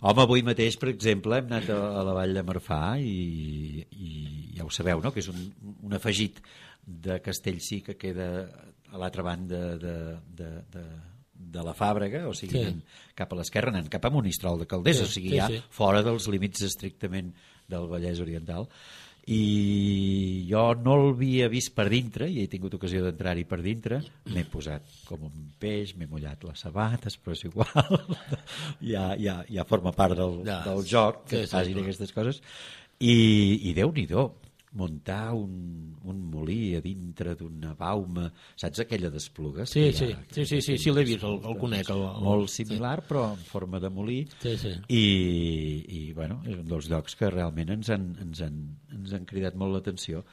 Home, avui mateix, per exemple, hem anat a la Vall de Marfà i ja ho sabeu, no?, que és un afegit de Castellcí que queda a l'altra banda de la Fàbrega, o sigui, cap a l'esquerra, anant cap a Monistrol de Calders, o sigui, ja fora dels límits estrictament del Vallès Oriental. I jo no l'havia vist per dintre, i he tingut ocasió d'entrar-hi per dintre, m'he posat com un peix, m'he mullat les sabates, però és igual, ja forma part del joc que facin aquestes coses, i Déu-n'hi-do, muntar un molí a dintre d'una bauma, saps aquella d'Esplugues? Sí, l'he vist, el conec. Molt similar, però en forma de molí, i bueno, és un dels llocs que realment ens han cridat molt l'atenció.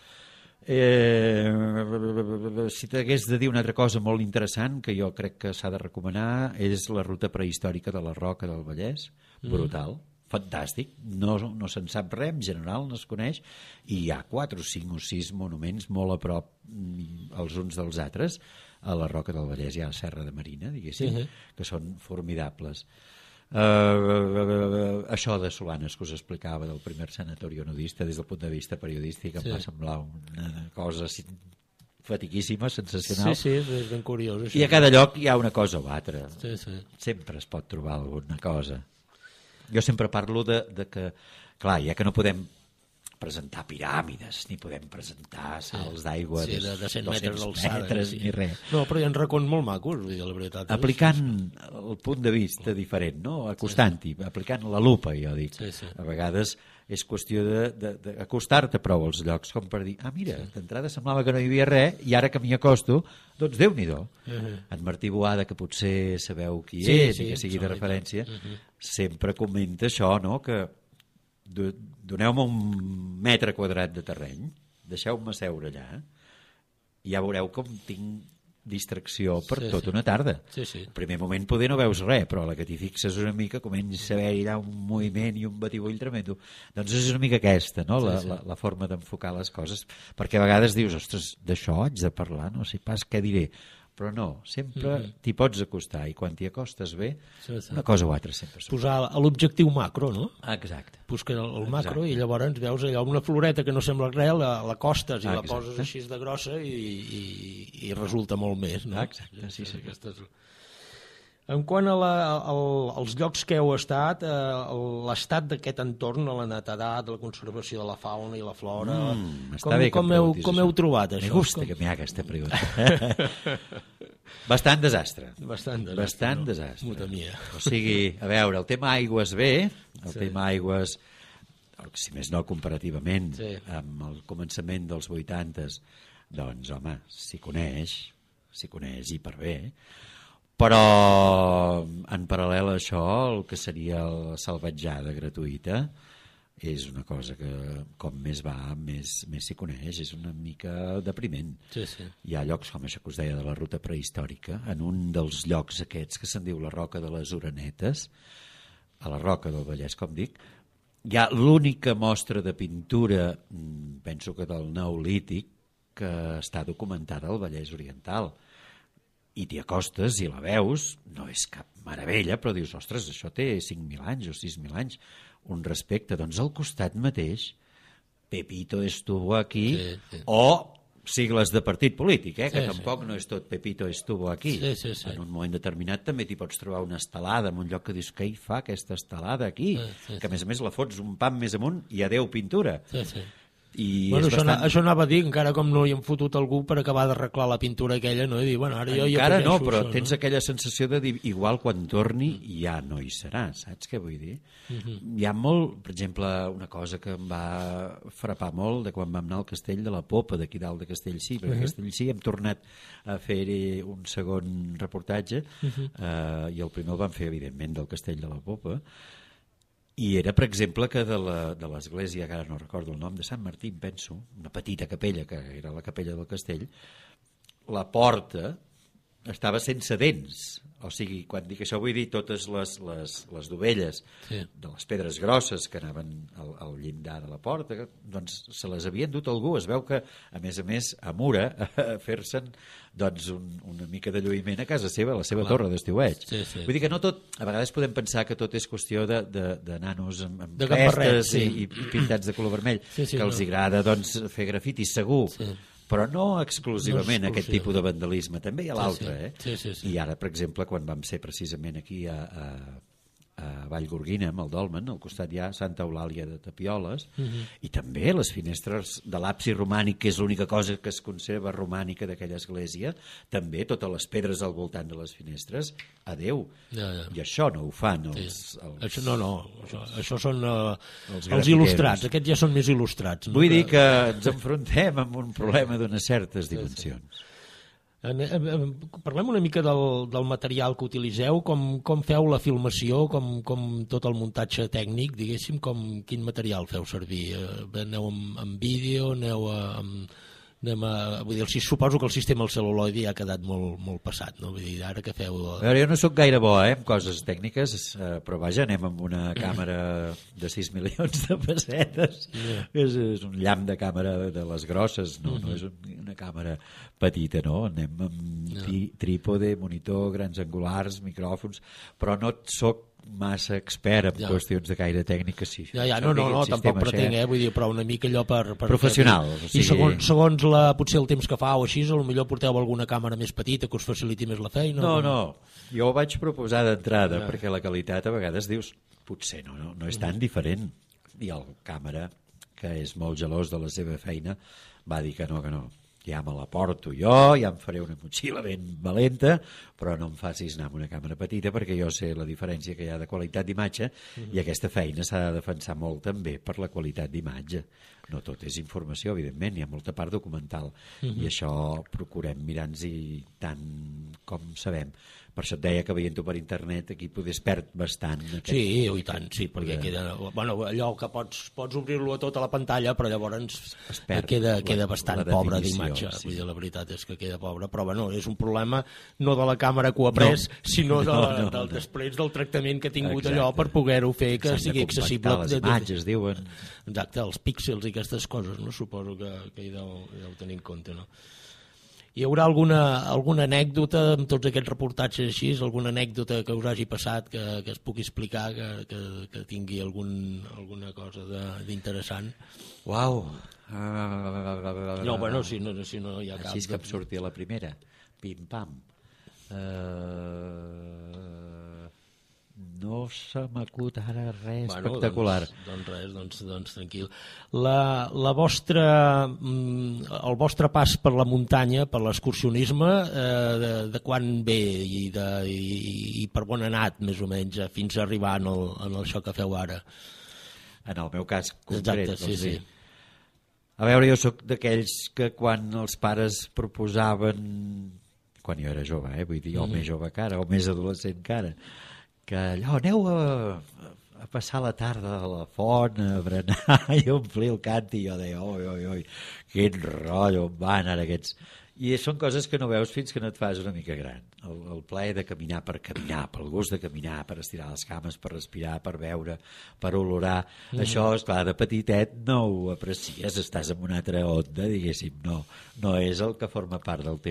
Si t'hagués de dir una altra cosa molt interessant que jo crec que s'ha de recomanar, és la ruta prehistòrica de la Roca del Vallès, brutal, fantàstic, no se'n sap res, en general no es coneix, i hi ha 4 o 5 o 6 monuments molt a prop els uns dels altres. A la Roca del Vallès hi ha la Serra de Marina, diguéssim, que són formidables. Això de Solanes que us explicava del primer sanatori nudista, des del punt de vista periodístic, em va semblar una cosa fatiguíssima, sensacional. Sí, és ben curiós. I a cada lloc hi ha una cosa o altra. Sempre es pot trobar alguna cosa. Jo sempre parlo de que, clar, ja que no podem presentar piràmides, ni podem presentar salts d'aigua de 100 metres d'alçada, ni res. No, però hi ha racons molt macos, vull dir, la veritat. Aplicant el punt de vista diferent, no? Acostant-hi, aplicant la lupa, jo dic. A vegades és qüestió d'acostar-te prou als llocs, com per dir, mira, d'entrada semblava que no hi havia res, i ara que m'hi acosto, doncs Déu-n'hi-do. En Martí Boada, que potser sabeu qui és, i que sigui de referència, sempre comenta això, no?, que doneu-me un metre quadrat de terreny, deixeu-me seure allà, i ja veureu com tinc distracció per tota una tarda. Al primer moment poder no veus res, però a la que t'hi fixes una mica comença a haver-hi un moviment i un batibull tremendo. Doncs és una mica aquesta, no?, la forma d'enfocar les coses, perquè a vegades dius, ostres, d'això haig de parlar, no sé pas què diré, però no, sempre t'hi pots acostar, i quan t'hi acostes bé, una cosa o altra sempre surt. Posar l'objectiu macro, no? Exacte. Busques el macro i llavors veus allò, una floreta que no sembla res, l'acostes i la poses així de grossa i resulta molt més, no? Exacte, sí. En quant als llocs que heu estat, l'estat d'aquest entorn, la netedat, la conservació de la fauna i la flora, com heu trobat això? Me gusta que me haga esta pregunta. Bastant desastre. Bastant desastre. O sigui, a veure, el tema aigües bé, el tema aigües, si més no comparativament amb el començament dels 80s, doncs, home, s'hi coneix, s'hi coneix i per bé, però en paral·lel a això el que seria la salvatjada gratuïta és una cosa que com més va més s'hi coneix, és una mica depriment. Sí. Hi ha llocs com això que us deia de la ruta prehistòrica, en un dels llocs aquests que se'n diu la Roca de les Orenetes, a la Roca del Vallès, com dic, hi ha l'única mostra de pintura, penso que del Neolític, que està documentada al Vallès Oriental, i t'hi acostes i la veus, no és cap meravella, però dius, ostres, això té 5.000 anys o 6.000 anys, un respecte. Doncs al costat mateix, Pepito estuvo aquí, sí. O sigles de partit polític, que Sí, tampoc no és tot Pepito estuvo aquí. Sí. En un moment determinat també t'hi pots trobar una estelada en un lloc que dius, què hi fa aquesta estelada aquí? Sí. Que a més la fots un pam més amunt i adeu pintura. Sí. I Bueno, és bastant... això anava a dir, encara com no hi hem fotut algú per acabar d'arreglar la pintura aquella, no? I dir, bueno, ara jo Encara afegeixo no, però això, tens aquella sensació de dir, igual quan torni ja no hi serà, saps què vull dir? Hi ha molt, per exemple, una cosa que em va frapar molt de quan vam anar al castell de la Popa, d'aquí dalt de Castellcí, perquè a Castellcí hem tornat a fer-hi un segon reportatge, i el primer el vam fer, evidentment, del castell de la Popa, i era, per exemple, que de l'església, que ara no recordo el nom, de Sant Martí, penso, una petita capella, que era la capella del castell, la porta estava sense dents. O sigui, quan dic això vull dir totes les dovelles de les pedres grosses que anaven al llindar de la porta, doncs se les havien dut algú. Es veu que, a més, a Mura, a fer-se'n doncs, una mica de lluïment a casa seva, a la seva torre d'estiueig. Sí. Vull dir que no tot, a vegades podem pensar que tot és qüestió de nanos amb De gambarret, crestes i pintats de color vermell, Sí, que els agrada doncs, fer grafiti, segur. Sí. Però no exclusivament No aquest tipus de vandalisme, també hi ha l'altre. Sí. I ara, per exemple, quan vam ser precisament aquí a Vallgorguina, amb el Dolmen, al costat hi ha Santa Eulàlia de Tapioles, i també les finestres de l'absis romànic, que és l'única cosa que es conserva romànica d'aquella església, també totes les pedres al voltant de les finestres, adeu. Ja. I això no ho fan Això això són els grafiteros. il·lustrats, aquests ja són més il·lustrats. No? Vull dir que ens enfrontem amb un problema d'unes certes dimensions. Parlem una mica del material que utilitzeu, com feu la filmació, com tot el muntatge tècnic, diguéssim, quin material feu servir? Aneu amb vídeo, vull dir, suposo que el sistema del cel·luloide ja ha quedat molt passat, no? Vull dir, ara que feu... A veure, jo no sóc gaire bo en coses tècniques, però vaja, anem amb una càmera de 6 milions de pessetes, és un llamp de càmera de les grosses, no és una càmera petita, no? Anem amb trípode, monitor, grans angulars, micròfons, però no sóc massa expert en qüestions de gaire tècnica, sí. No, tampoc pretenc, vull dir, però una mica allò per professional. I segons potser el temps que fa o així, potser porteu alguna càmera més petita que us faciliti més la feina? No, jo ho vaig proposar d'entrada, perquè la qualitat a vegades dius, potser no és tan diferent. I el càmera, que és molt gelós de la seva feina, va dir que no, ja me la porto jo, ja em faré una motxilla ben valenta, però no em facis anar amb una càmera petita perquè jo sé la diferència que hi ha de qualitat d'imatge i aquesta feina s'ha de defensar molt també per la qualitat d'imatge. No tot és informació, evidentment, hi ha molta part documental i això procurem mirar-nos-hi tant com sabem. Per això et deia que veient-ho per internet aquí poder es perd bastant. Sí, i tant, sí, perquè queda... Bueno, allò que pots obrir-lo a tota la pantalla, però llavors queda bastant pobre d'imatge. Sí. Vull dir, la veritat és que queda pobre, però bueno, és un problema no de la càmera que ho ha pres, sinó del després del tractament que ha tingut allò per poder-ho fer que sigui accessible. Les imatges, diuen. Exacte, els píxels i aquestes coses, no? Suposo que hi deu tenir en compte, no? Hi haurà alguna anècdota amb tots aquests reportatges així, alguna anècdota que us hagi passat que es pugui explicar, que tingui alguna cosa d'interessant? Uau! No, bueno, si no hi ha cap... Així és que em surti a la primera. Pim-pam. No se m'acut ara res espectacular. Doncs tranquil. El vostre pas per la muntanya, per l'excursionisme, de quan ve i per on ha anat, més o menys, fins a arribar en això que feu ara? En el meu cas concret. Exacte, sí. A veure, jo sóc d'aquells que quan els pares proposaven quan jo era jove, vull dir, o més jove que ara, o més adolescent que ara, que allò, aneu a passar la tarda a la font, a berenar i omplir el cant, i jo deia, oi, quin rotllo, on van ara aquests... I són coses que no veus fins que no et fas una mica gran. El plaer de caminar, pel gust de caminar, per estirar les cames, per respirar, per veure, per olorar. Això, esclar, de petitet no ho aprecies, estàs en una altra onda, diguéssim, no és el que forma part del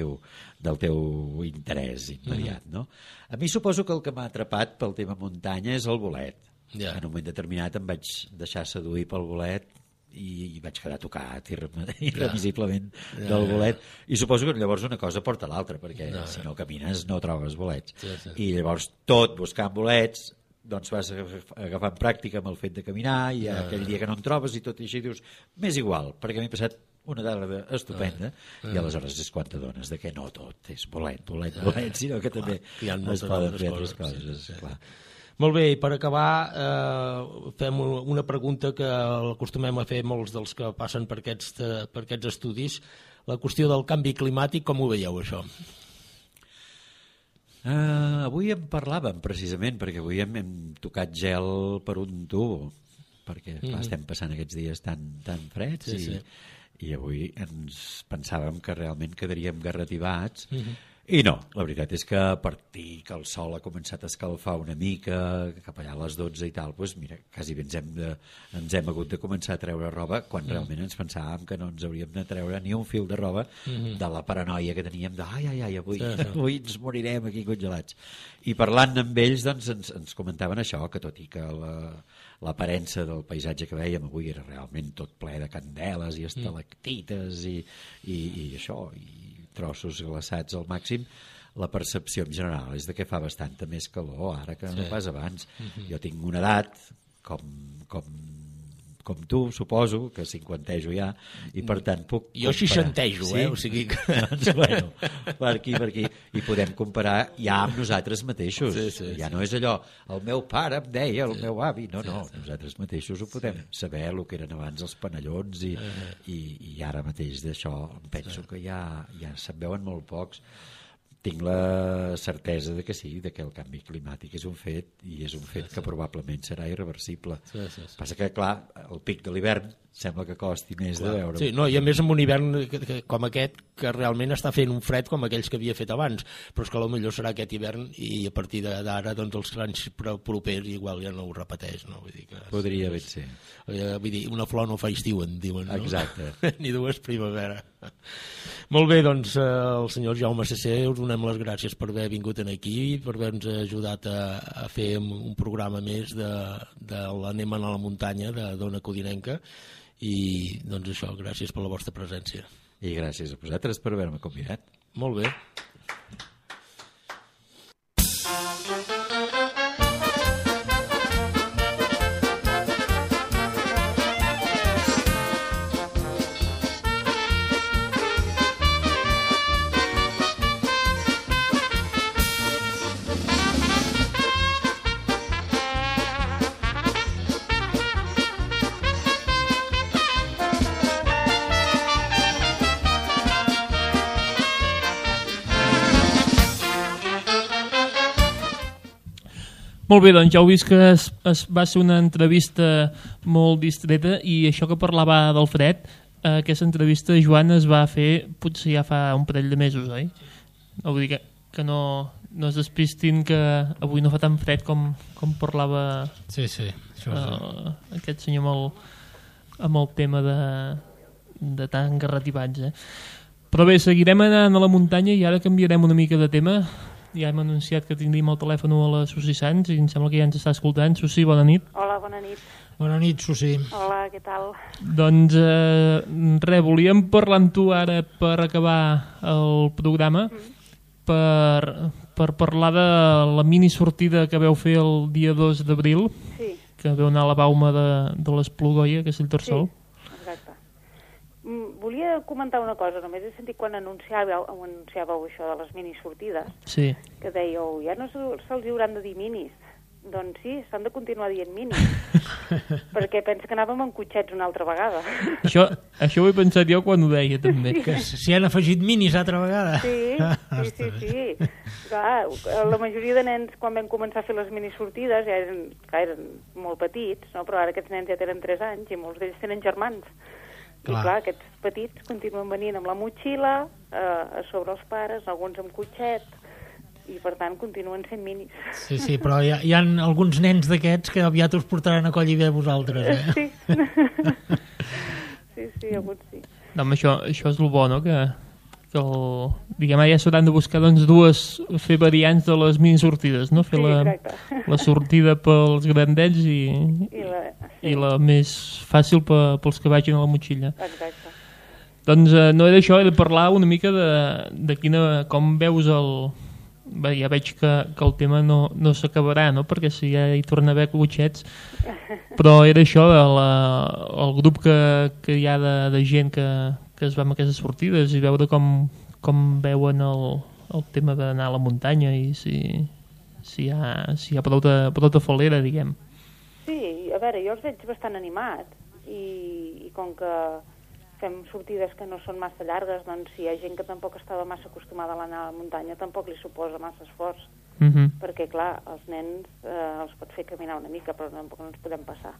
teu interès immediat, no? A mi suposo que el que m'ha atrapat pel tema muntanya és el bolet. En un moment determinat em vaig deixar seduir pel bolet i vaig quedar tocat irrevisiblement del bolet, i suposo que llavors una cosa porta l'altra, perquè si no camines no trobes bolets, i llavors tot buscant bolets, doncs vas agafant pràctica amb el fet de caminar, i aquell dia que no en trobes i tot i així dius, m'és igual, perquè m'he passat una tarda estupenda, i aleshores és quan t'adones de que no tot és bolet, sinó que també es poden fer altres coses, clar. Molt bé, i per acabar fem una pregunta que l'acostumem a fer molts dels que passen per aquests estudis. La qüestió del canvi climàtic, com ho veieu, això? Avui en parlàvem, precisament, perquè avui hem tocat gel per un tubo, perquè estem passant aquests dies tan freds, i avui ens pensàvem que realment quedaríem garrativats, i no, la veritat és que a partir que el sol ha començat a escalfar una mica, cap allà a les 12 i tal, doncs mira, quasi bé ens hem hagut de començar a treure roba, quan realment ens pensàvem que no ens hauríem de treure ni un fil de roba de la paranoia que teníem de avui ens morirem aquí congelats. I parlant amb ells, doncs ens comentaven això, que tot i que l'aparença del paisatge que veiem avui era realment tot ple de candeles i estalactites i això, i trossos glaçats al màxim, la percepció en general és de que fa bastanta més calor ara que no pas abans. Jo tinc una edat com tu, suposo, que cinquantejo ja, i per tant puc comparar. Jo seixantejo, o sigui que... Doncs, bueno, per aquí, i podem comparar ja amb nosaltres mateixos. Ja no és allò, el meu pare em deia, el meu avi, no, nosaltres mateixos ho podem saber, el que eren abans els panellons, i ara mateix d'això em penso que ja se'n veuen molt pocs. Tinc la certesa de que sí, de que el canvi climàtic és un fet, i és un fet que probablement serà irreversible. Passa que, clar, el pic de l'hivern sembla que costi més de veure. Sí, no, i a més amb un hivern com aquest, que realment està fent un fred com aquells que havia fet abans, però és que potser serà aquest hivern i a partir d'ara doncs els anys propers igual ja no ho repeteix, no? Vull dir que podria ben ser. Vull dir, una flor no fa estiu, en diuen, no? Exacte. Ni dues primavera. Molt bé, doncs el senyor Jaume Cesser, us donem les gràcies per haver vingut aquí, per haver-nos ajudat a fer un programa més de l'Anem a la muntanya d'Ona Codinenca, i doncs això, gràcies per la vostra presència. I gràcies a vosaltres per haver-me convidat. Molt bé. Molt bé, doncs ja heu vist que va ser una entrevista molt distreta, i això que parlava del fred, aquesta entrevista, Joan, es va fer potser ja fa un parell de mesos, oi? Vull dir que no es despistin, que avui no fa tan fred com parlava aquest senyor amb el tema de tan garrativats. Però bé, seguirem anant a la muntanya i ara canviarem una mica de tema. Ja hem anunciat que tindríem el telèfon a la Susi Sans i em sembla que ja ens està escoltant. Susi, bona nit. Hola, bona nit. Bona nit, Susi. Hola, què tal? Doncs volíem parlar amb tu ara per acabar el programa, per parlar de la mini sortida que vau fer el dia 2 d'abril, que vau anar a la bauma de l'Esplugoia, que és el Tarsol. Sí, exacte. Volia comentar una cosa, només he sentit quan anunciàveu això de les mini sortides, que dèieu, ja no se'ls hauran de dir minis, Doncs sí, s'han de continuar dient minis. Perquè penso que anàvem amb cotxets una altra vegada. Això ho he pensat jo quan ho deia, també. Que s'hi han afegit minis altra vegada. Sí. Clar, la majoria de nens, quan vam començar a fer les minisortides, ja eren molt petits, no? Però ara aquests nens ja tenen 3 anys i molts d'ells tenen germans. I clar, aquests petits continuen venint amb la motxilla, a sobre els pares, alguns amb cotxet, i per tant continuen sent minis. Sí, però hi ha alguns nens d'aquests que aviat us portaran a coll i bé vosaltres, eh? Sí, alguns sí. No, això és el bo, no? Que diguem, ja s'hauran de buscar fer variants de les minisortides, no? Fer la sortida pels grandets i la més fàcil pels que vagin a la motxilla. Exacte. Doncs no era això, he de parlar una mica de com veus Bé, ja veig que el tema no s'acabarà, no? Perquè si ja hi torna a haver cotxets, però era això, el grup que hi ha de gent que es va amb aquestes sortides i veure com veuen el tema d'anar a la muntanya i si hi ha prou de falera, diguem. Sí, a veure, jo els veig bastant animats i com que fem sortides que no són massa llargues, doncs si hi ha gent que tampoc estava massa acostumada a anar a la muntanya tampoc li suposa massa esforç, perquè clar, els nens els pot fer caminar una mica, però tampoc no ens podem passar,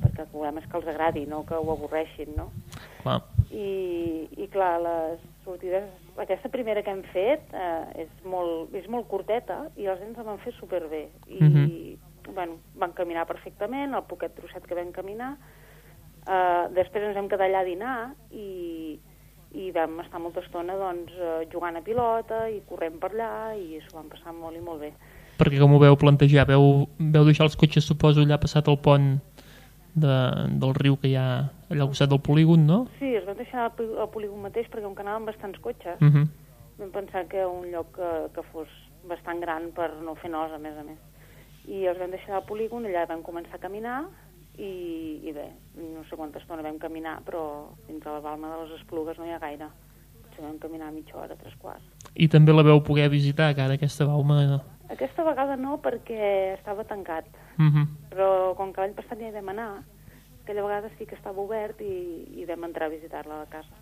perquè el problema és que els agradi, no que ho avorreixin, no? Clar. I clar, les sortides, aquesta primera que hem fet és molt curteta i els nens la van fer superbé i bueno, van caminar perfectament, el poquet trosset que vam caminar. Després ens vam quedar allà a dinar i vam estar molta estona doncs, jugant a pilota i corrent per allà i s'ho vam passar molt i molt bé. Perquè com ho veu plantejar? Veu deixar els cotxes, suposo, allà passat el pont del riu que hi ha allà al costat del polígon, no? Sí, es van deixar al polígon mateix perquè com que anàvem bastants cotxes vam pensar que un lloc que fos bastant gran per no fer nosa, a més. I els vam deixar al polígon, allà vam començar a caminar i bé, no sé quanta estona vam caminar, però fins a la Balma de les Esplugues no hi ha gaire. Potser vam caminar mitja hora, 3/4. I també la veu poder visitar, cara, aquesta Balma? Aquesta vegada no, perquè estava tancat. Però com que l'any passat ja hi vam anar, aquella vegada sí que estava obert i vam entrar a visitar-la a la casa.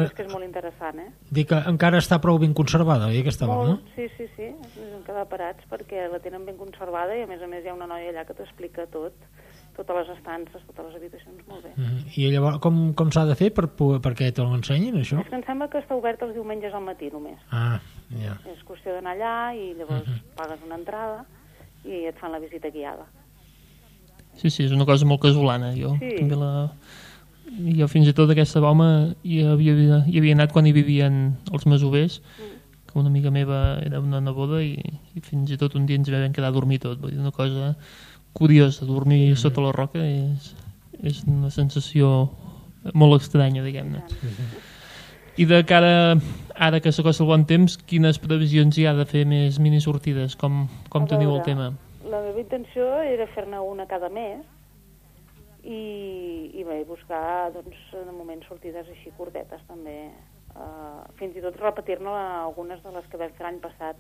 És que és molt interessant, eh? Dic que encara està prou ben conservada, oi, aquesta Balma? Sí. Ens hem quedat parats perquè la tenen ben conservada i a més hi ha una noia allà que t'explica totes les estances, totes les habitacions, molt bé. I llavors com s'ha de fer perquè te l'ensenyin, això? És que em sembla que està obert els diumenges al matí només. Ja. És qüestió d'anar allà i llavors pagues una entrada i et fan la visita guiada. Sí, és una cosa molt casolana. Jo fins i tot aquesta Balma hi havia anat quan hi vivien els masovers, que una amiga meva era una neboda i fins i tot un dia ens vam quedar a dormir tot. Vull dir, una cosa curiosa, dormir sota la roca és una sensació molt estranya, diguem-ne. I de cara ara que s'acosta el bon temps, quines previsions hi ha de fer més minisortides? Com teniu el tema? La meva intenció era fer-ne una cada mes i bé, buscar doncs, de moment sortides així curtetes també, fins i tot repetir-ne algunes de les que vam fer l'any passat,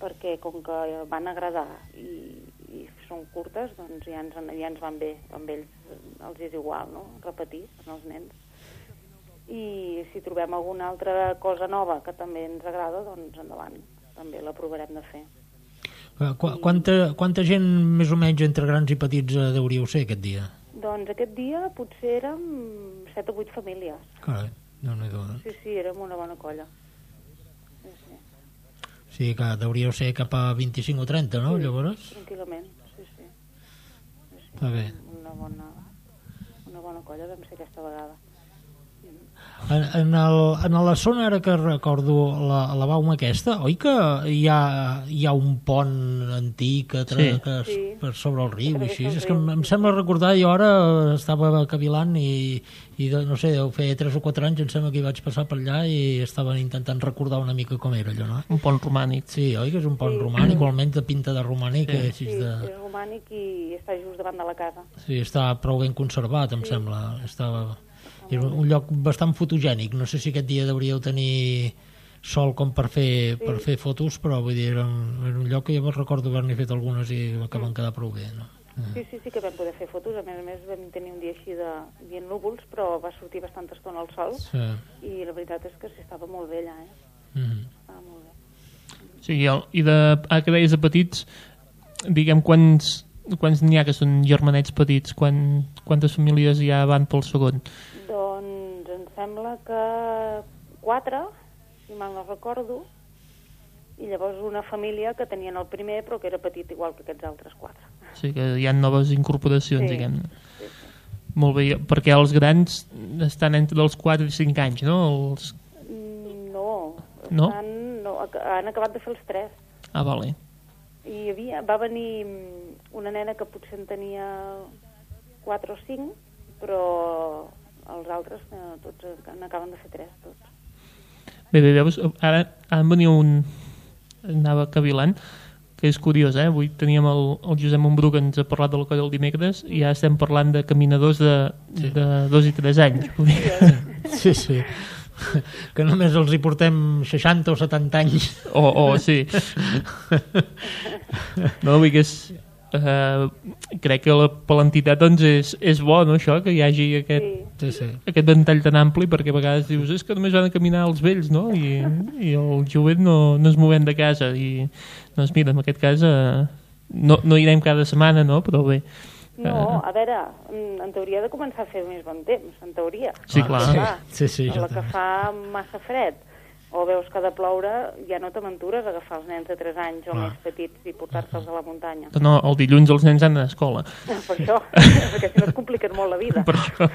perquè com que van agradar i són curtes, doncs ja ens van bé, amb ells els és igual, no?, repetir amb els nens. I si trobem alguna altra cosa nova que també ens agrada, doncs endavant, també la provarem de fer. Quanta gent més o menys entre grans i petits deuríeu ser aquest dia? Doncs aquest dia potser érem 7 o 8 famílies. Carai, Déu-n'hi-do. Sí, érem una bona colla. Sí, que deuríeu ser cap a 25 o 30, no, llavors? Tranquil·lament, sí. Està bé. Una bona colla vam ser aquesta vegada. En la zona, ara que recordo, la Bauma aquesta, oi que hi ha un pont antic per sobre el riu? És que em sembla recordar, jo ara estava cavilant i no sé, deu fer 3 o 4 anys, em sembla que hi vaig passar per allà i estaven intentant recordar una mica com era allò, no? Un pont romànic. Sí, oi que és un pont romànic, o almenys de pinta de romànic. Sí, és romànic i està just davant de la casa. Sí, està prou ben conservat, em sembla. És un lloc bastant fotogènic. No sé si aquest dia deuríeu tenir sol com per fer fotos, però vull dir, era un lloc que jo me'n recordo haver-ne fet algunes i que van quedar prou bé, no? Sí, que vam poder fer fotos. A més vam tenir un dia així de dia núvols, però va sortir bastanta estona al sol i la veritat és que estava molt bé allà, Estava molt bé. Sí, i que deies de petits, diguem, quants n'hi ha que són germanets petits? Quantes famílies ja van pel segon? Doncs em sembla que 4, si mal no recordo, i llavors una família que tenien el primer però que era petit igual que aquests altres 4. Sí, que hi ha noves incorporacions, diguem-ne. Sí. Molt bé, perquè els grans estan entre els 4 i 5 anys, no? No? Han acabat de fer els 3. Ah, vale. I va venir una nena que potser en tenia 4 o 5, però els altres tots n'acaben de fer 3, tots. Bé, veus, ara en venia anava cavilant, que és curiós, avui teníem el Josep Montbrú que ens ha parlat del coll del dimecres i ja estem parlant de caminadors de 2 i 3 anys. Sí. Que només els hi portem 60 o 70 anys. Sí. No, vull que crec que per l'entitat doncs és bo, no, això, que hi hagi aquest ventall tan ampli, perquè a vegades dius és que només van a caminar els vells, no? I el jovent no es movem de casa i doncs mira, en aquest cas no irem cada setmana, no? Però bé. No, a veure, en teoria ha de començar a fer més bon temps, en teoria. Sí, clar. Sí, la que fa massa fred o veus que ha de ploure, ja no t'aventures a agafar els nens de 3 anys o més petits i portar-se'ls a la muntanya. No, el dilluns els nens han d'anar a escola. Per això, perquè si no et compliques molt la vida. Per això.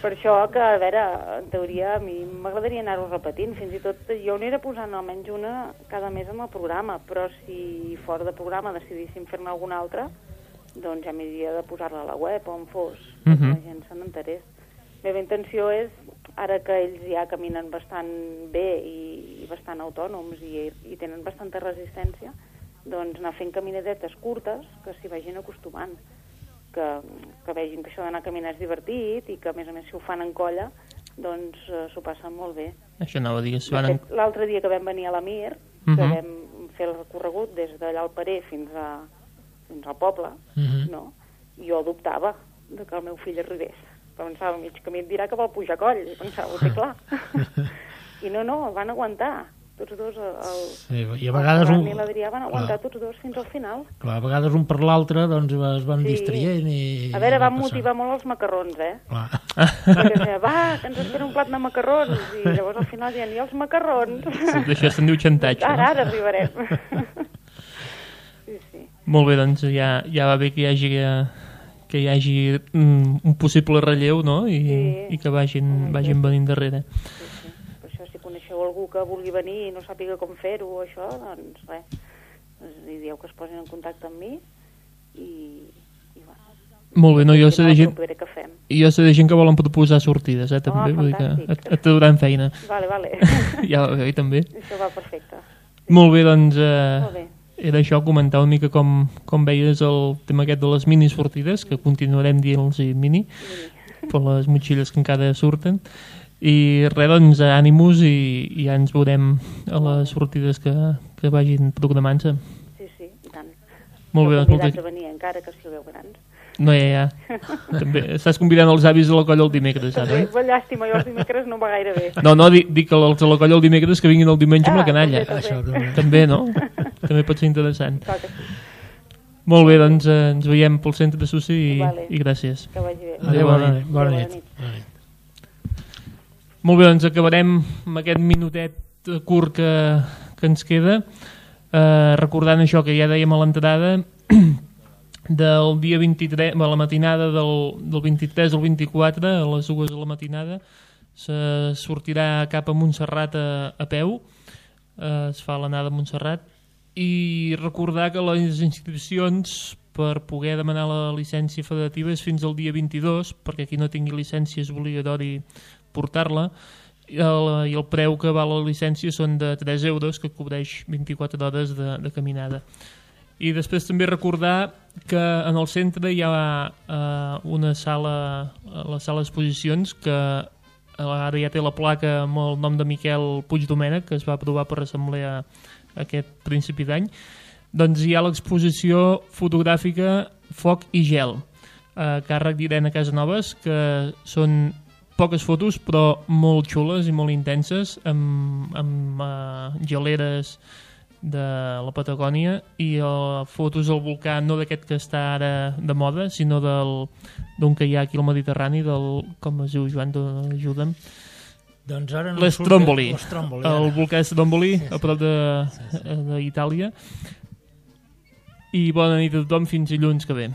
Per això que, a veure, en teoria a mi m'agradaria anar-ho repetint, fins i tot jo n'era posant almenys una cada mes en el programa, però si fora de programa decidíssim fer-ne alguna altra, doncs ja m'hauria de posar-la a la web on fos, perquè la gent se n'enterés. La meva intenció és, ara que ells ja caminen bastant bé i bastant autònoms i tenen bastanta resistència, doncs anar fent caminadetes curtes que s'hi vagin acostumant, que vegin que això d'anar a caminar és divertit i que a més si ho fan en colla doncs s'ho passen molt bé. Això anava a dir. L'altre dia que vam venir a la Mir, que vam fer el recorregut des d'allà al Parer fins al poble, no? Jo dubtava que el meu fill arribés. Pensava, mig camí et dirà que vol pujar coll. I pensava, ho té clar. I no, van aguantar. Tots dos, i a vegades i l'Adrià van aguantar tots dos fins al final. Clar, a vegades un per l'altre doncs es van distraient a veure, van motivar molt els macarrons, perquè deia, va, que ens espera un plat de macarrons, i llavors al final diuen, i els macarrons? Sí, d'això se'n diu xantatge. Ara arribarem. Sí. Molt bé, doncs ja va bé que hi hagi un possible relleu, no? I que vagin venint darrere. Sí. Per això, si coneixeu algú que vulgui venir i no sàpiga com fer-ho o això, doncs res, li dieu que es posin en contacte amb mi i va. Molt bé, no, jo sé de gent que volen proposar sortides, també, vull dir que et trauran feina. Vale. Ja va bé, també. Això va perfecte. Molt bé, doncs... Molt bé. Era això, comentar una mica com veies el tema aquest de les mini sortides, que continuarem dient-los mini, per les motxilles que encara surten, i res, doncs, ànimus i ja ens veurem a les sortides que vagin programant-se. Sí, i tant. Molt bé, doncs, convidats a venir encara que sigueu grans. No, ja. També estàs convidant els avis de la colla el dimecres, ara, oi? Llàstima, jo els dimecres no va gaire bé. No, dic que els de la colla el dimecres que vinguin el diumenge amb la canalla. També, no? També pot ser interessant. Molt bé, doncs ens veiem pel centre de Sussi i gràcies. Que vagi bé. Adéu, bona nit. Molt bé, doncs acabarem amb aquest minutet curt que ens queda, recordant això que ja dèiem a l'entrada, del dia 23, a la matinada del 23 al 24, a les 2 de la matinada, se sortirà cap a Montserrat a peu, es fa l'anada a Montserrat, i recordar que les inscripcions per poder demanar la llicència federativa és fins al dia 22, perquè qui no tingui llicència és obligatori portar-la, i el preu que val la llicència són de 3 euros, que cobreix 24 hores de caminada. I després també recordar que en el centre hi ha una sala, la sala d'exposicions, que ara ja té la placa amb el nom de Miquel Puigdomènech, que es va aprovar per assemblea aquest principi d'any. Doncs hi ha l'exposició fotogràfica Foc i Gel, a càrrec d'Irene Casanovas, que són poques fotos però molt xules i molt intenses, amb geleres de la Patagònia i fotos al volcà, no d'aquest que està ara de moda, sinó d'un que hi ha aquí al Mediterrani, com es diu, Joan, ajuda'm. Doncs ara l'Stromboli, el volcà Stromboli, a prop d'Itàlia. I bona nit a tothom, fins dilluns que ve.